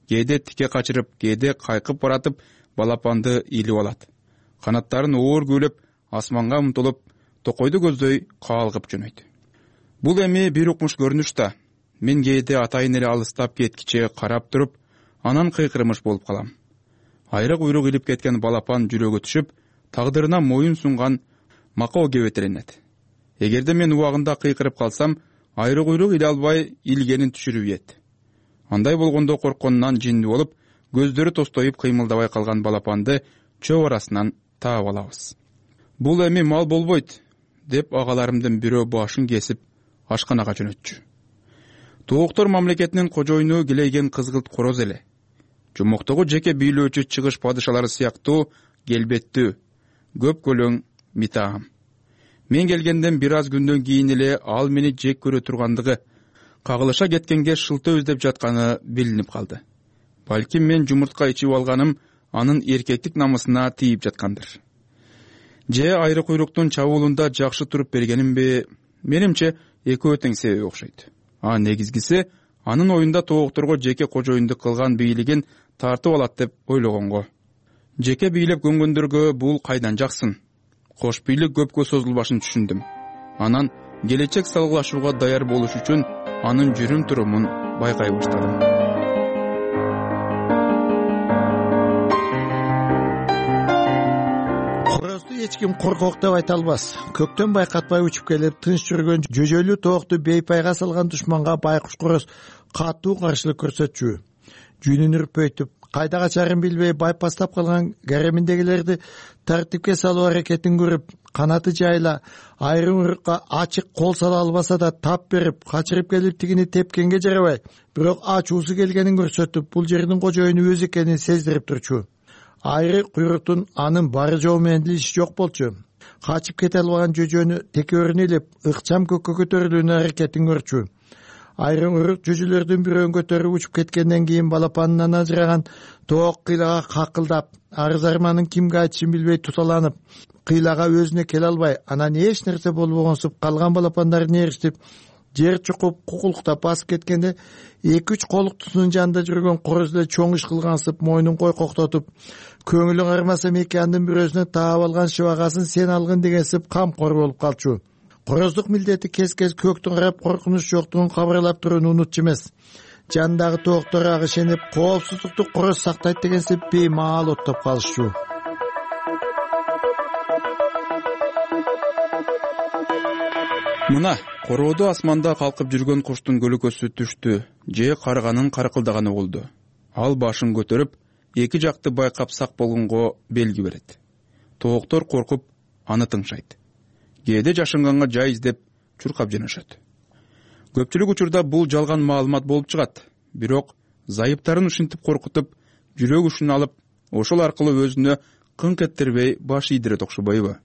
Speaker 2: Кээде тике качырып, кээде кайкып баратып, балапанды илип алат. Канаттарын оор көөлөп, асманга умтулуп, токойду көздөй каалгып жөнөйт. Бул эми бир укмуш көрүнүш да. Мен кээде атайын эле алыстап кеткиче карап туруп, анан кыйкырмыш болуп калам. Айры куйрук илип кеткен балапан жүрөгө түшүп, тагдырына моюн сунган макоо кебетеленет. Эгерде мен убагында кыйкырып калсам, айры куйрук иле албай илгенин түшүрүп ийет. Андай болгондо коркконунан жинди болуп, көздөрү тостоюп кыймылдабай калган балапанды чөп арасынан таап алабыз. Бул эми мал болбойт, деп агаларымдын бирөө башын кесип ашканага жөнөтчү. Тооктор мамлекетинин кожоюну килейген кызгылт короз эле. Жумоктогу жеке бийлөөчү чыгыш падышалары сыяктуу келбеттүү, көп көлөң митаам. Мен келгенден бир аз күндөн кийин эле ал мени жек көрө тургандыгы, кагылыша кеткенге шылтоо издеп жатканы билинип калды. Балким мен жумуртка ичип алганым анын эркектик намысына тийип жаткандыр. Же айры куйруктун чабуулунда жакшы туруп бергенимби, менимче экөө тең себеби окшойт. Негизгиси анын оюнда тоокторго жеке кожоюндук кылган бийлигин тартып алат деп ойлогонго. Жеке бийлеп көнгөндөргө бул кайдан жаксын? Кош бийлик көпкө созулбашын түшүндүм. Анан келечек салгылашууга даяр болуш үчүн анын жүрүм турумун байкай баштадым.
Speaker 11: Корозду эч ким коркок деп айта албас. Көктөн байкатпай учуп келип, тынч жүргөн жөжөлүү тоокту бейпайга салган душманга байкуш короз катуу каршылык көрсөтчү. Жүнүн үрпөйтүп, кайда качарын билбей байпастап калган гареминдегилерди тартипке салуу аракетин көрүп, канаты жайла, айрым урукка ачык кол сала албаса да тап берип, качырып келип тигини тепкенге жарабай, бирок ачуусу келгенин көрсөтүп, бул жердин кожоюну өзү экенин сездирип турчу. Айры куйруктун анын бары жоо менен иши жок болчу. Качып кете албаган жөжөнү текөөрүнө илип, ыкчам көккө көтөрүлүүнүн аракетин көрчү. Айрым урук жүжүлөрдүн бирөөн көтөрүп учуп кеткенден кийин балапанынан ажыраган тоок кыйлага какылдап, арыз арманын кимге айтышын билбей туталанып, кыйлага өзүнө келе албай, анан эч нерсе болбогонсуп калган балапандарын эриштип, жер чукуп, кукулуктап басып кеткенде 2-3 колуктусунун жанында жүргөн короз эле чоң иш кылгансып, мойнун койкоктотуп, көңүлүң армаса мекандын бирөөсүнө таап алган шыбагасын сен алгын дегенсип камкор болуп калчу. Короздук милдети кез-кез көктүн карап коркунуч жоктугун кабарлап турууну унутчу эмес. Жандагы тооктор ага ишенип, коопсуздукту короз сактайт дегенсип беймаал оттоп калышчу.
Speaker 2: Мына, короодо асманда калкып жүргөн куштун көлөкөсү түштү, же карганын каркылдаганы болду. Ал башын көтөрүп, эки жакты байкап сак болгонго белги берет. Тооктор коркуп аны тыңшайт. Кээде жашынганга жай издеп чуркап жөнөшөт. Көпчүлүк учурда бул жалган маалымат болуп чыгат, бирок зайыптарын ушинтип коркутуп, жүрөк ушун алып, ошол аркылуу өзүнө кыңк эттербей баш ийдирет окшобойбу?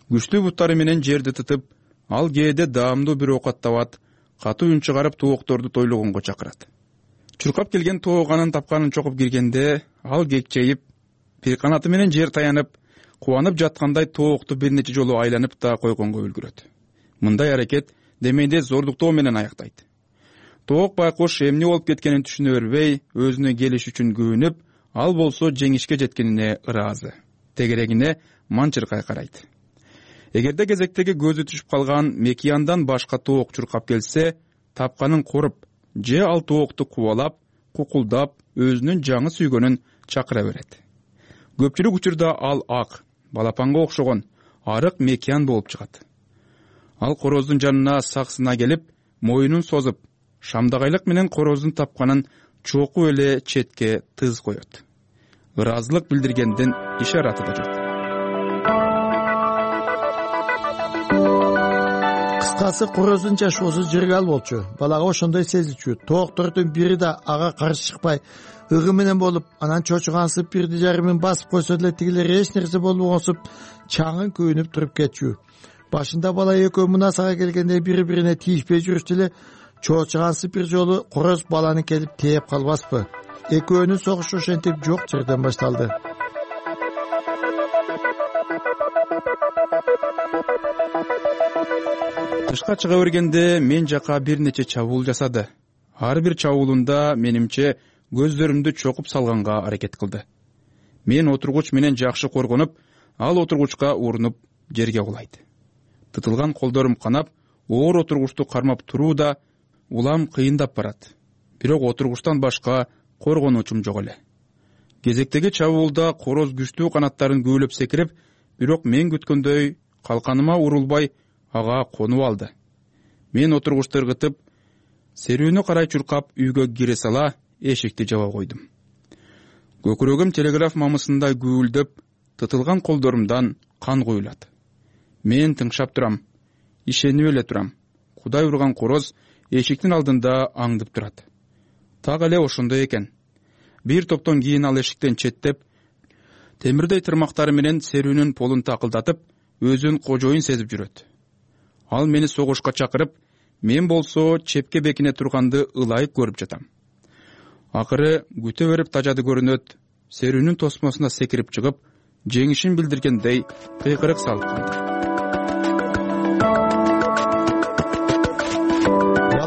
Speaker 2: Күчтүү буттары менен жерди тытып, ал кээде даамдуу бир оокат табат, катуу үн чыгарып тоокторду тойлогонго чакырат. Чуркап келген тоок анын тапканын чокуп киргенде, ал кекчейип, бир канаты менен жер таянып, кубанып жаткандай тоокту бир нече жолу айланып да койгонго үлгүрөт. Мындай аракет демейде зордуктоо менен аяктайт. Тоок байкуш эмне болуп кеткенин түшүнө бербей, өзүнө келиш үчүн күйүнүп, ал болсо жеңишке жеткенине ыраазы. Тегерегине манчыркай карайт. Эгерде кезектеги көзү түшүп калган мекияндан башка тоок чуркап келсе, тапканын коруп, же ал тоокту кубалап, кукулдап, өзүнүн жаңы сүйгөнүн чакыра берет. Көпчүлүк учурда ал ак, балапанга окшогон, арык мекиян болуп чыгат. Ал короздун жанына саксына келип, моюнун созуп, шамдагайлык менен короздун тапканын чокуу эле четке тыз коет. Ыраазылык билдиргендин ишараты да жок.
Speaker 11: Кыскасы, короздун жашоосу жыргал болчу. Балага ошондой сезилчү. Тооктордун бири да ага каршы чыкпай, ыгы менен болуп, анан чочугансып бирди жарымын басып койсо деле тигилер эч нерсе болбогонсуп, чаңын күйүнүп туруп кетчү. Башында бала экөө мунасага келгенде бири-бирине тийишпей жүрүштү эле, чочугансып бир жолу короз баланы келип тээп калбаспы. Экөөнүн согушу ошентип жок жерден башталды.
Speaker 2: Тышка чыга бергенде мен жака бир нече чабуул жасады. Ар бир чабуулунда менимче көздөрүмдү чокуп салганга аракет кылды. Мен отургуч менен жакшы коргонуп, ал отургучка урунуп жерге кулайт. Тытылган колдорум канап, оор отургучту кармап туруу да улам кыйындап барат. Бирок отургучтан башка коргонуучум жок эле. Кезектеги чабуулда короз күчтүү канаттарын күүлөп секирип, бирок мен күткөндөй калканыма урулбай ага конуп алды. Мен отургучты ыргытып, серүүнү карай чуркап үйгө кире сала эшикти жаба койдум. Көкүрөгүм телеграф мамысындай күүлдөп, тытылган колдорумдан кан куюлат. Мен тыңшап турам, ишенип эле турам. Кудай урган короз эшиктин алдында аңдып турат. Так эле ошондой экен. Бир топтон кийин ал эшиктен четтеп, темирдей тырмактары менен серүүнүн полун такылдатып, өзүн кожоюн сезип жүрөт. Ал мени согушка чакырып, мен болсо чепке бекине турганды ылайык көрүп жатам. Акыры күтө берип тажады көрүнөт, серүүнүн тосмосуна секирип чыгып, жеңишин билдиргендей кыйкырык салып калды.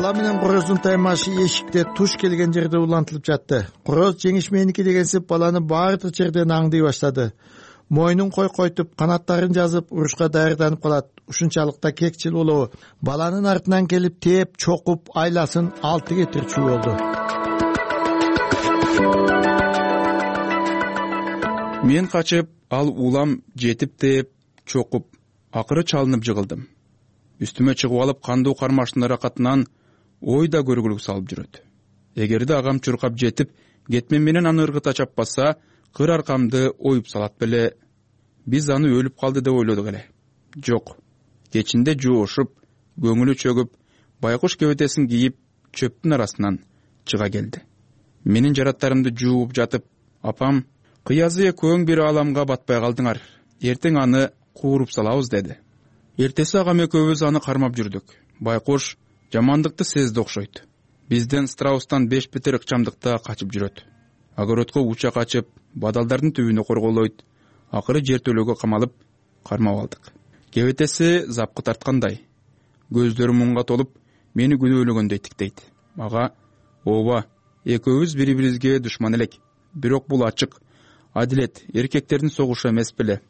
Speaker 11: Бала менен короздун таймашы эшикте туш келген жерде улантылып жатты. Короз жеңиш меники дегенсип баланы баардык жерден аңдый баштады. Мойнун койкойтуп, канаттарын жазып, урушка даярданып калат. Ушунчалыкта кекчил болобу. Баланын артынан келип тээп, чокуп, айласын 6 кетирчү болду.
Speaker 2: Мен качып, ал улам жетип тээп, чокуп, акыры чалынып жыгылдым. Үстүмө чыгып алып, кандуу кармаштын ыракатынан ой да көргүлүк салып жүрөт. Эгерде агам чуркап жетип, кетмен менен аны ыргыта чаппаса, кыр аркамды оюп салат беле. Биз аны өлүп калды деп ойлодук эле. Жок. Кечинде жоошуп, көңүлү чөгүп, байкуш кебетесин кийип, чөптүн арасынан чыга келди. Менин жараттарымды жууп жатып, апам, кыязы экөөң бир ааламга батпай калдыңар. Эртең аны кууруп салабыз деди. Эртеси агам экөөбүз аны кармап жүрдүк. Байкуш жамандыкты сезди окшойт. Бизден страустан 5 бетер ыкчамдыкта качып жүрөт. Огородко уча качып, бадалдардын түбүнө корголойт. Акыры жертөлөгө камалып, кармап алдык. Кебетеси запкы тарткандай. Көздөрү мунга толуп, мени күнөөлөгөндөй тиктейт. Ага, ооба, экөөбүз бири-бирибизге душман элек. Бирок бул ачык, адилет, эркектердин согушу эмес беле.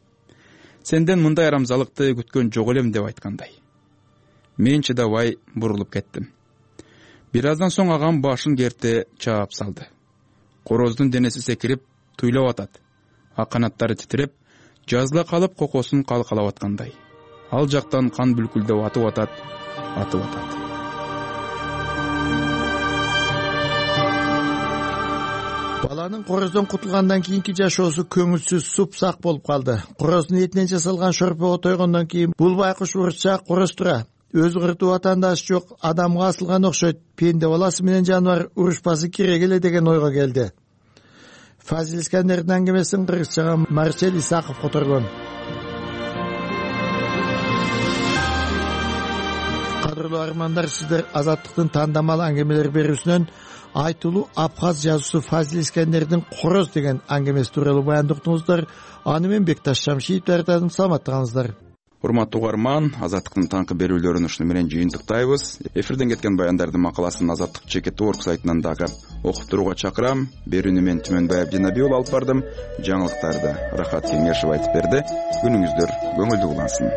Speaker 2: Сенден мындай арамзалыкты күткөн жок элем деп айткандай. Мен чыдабай бурулуп кеттим. Бир аздан соң агам башын керте чаап салды. Короздун денеси секирип, туйлап атат. Ак канаттары титиреп, жазыла калып кокосун калкалап аткандай. Ал жактан кан бүлкүлдөп атып атат.
Speaker 11: Баланын короздон кутулгандан кийинки жашоосу көңүлсүз, супсак болуп калды. Короздун этинен жасалган шорпого тойгондон кийин бул байкуш урушчаак короз тура. Өзү кыртуу ватандаш жок, адамга асылган окшойт. Пенде баласы менен жаныбар урушпасы керек эле деген ойго келди. Фазил Искандердин аңгемесин кыргызчага Марсель Исаков которгон. Кадырлуу армандар, сиздер Азаттыктын тандамал аңгемелер берүүсүнөн айтылуу абхаз жазуучусу Фазил Искандердин Короз деген аңгемеси тууралуу баянды уктуңуздар. Аны мен Бекташ Шамшиев даярдадым. Саламаттыгыңыздар.
Speaker 2: Урматтуу угарман, Азаттыктын таңкы берүүлөрүн ушуну менен жыйынтыктайбыз. Эфирден кеткен баяндардын макаласын Азаттык /org сайтынан дагы окуп турууга чакырам. Берүүнү мен Түмөнбай Абдинаби алып бардым. Жаңылыктарды Рахат Кеңешев айтып берди. Күнүңүздөр көңүлдүү улансын.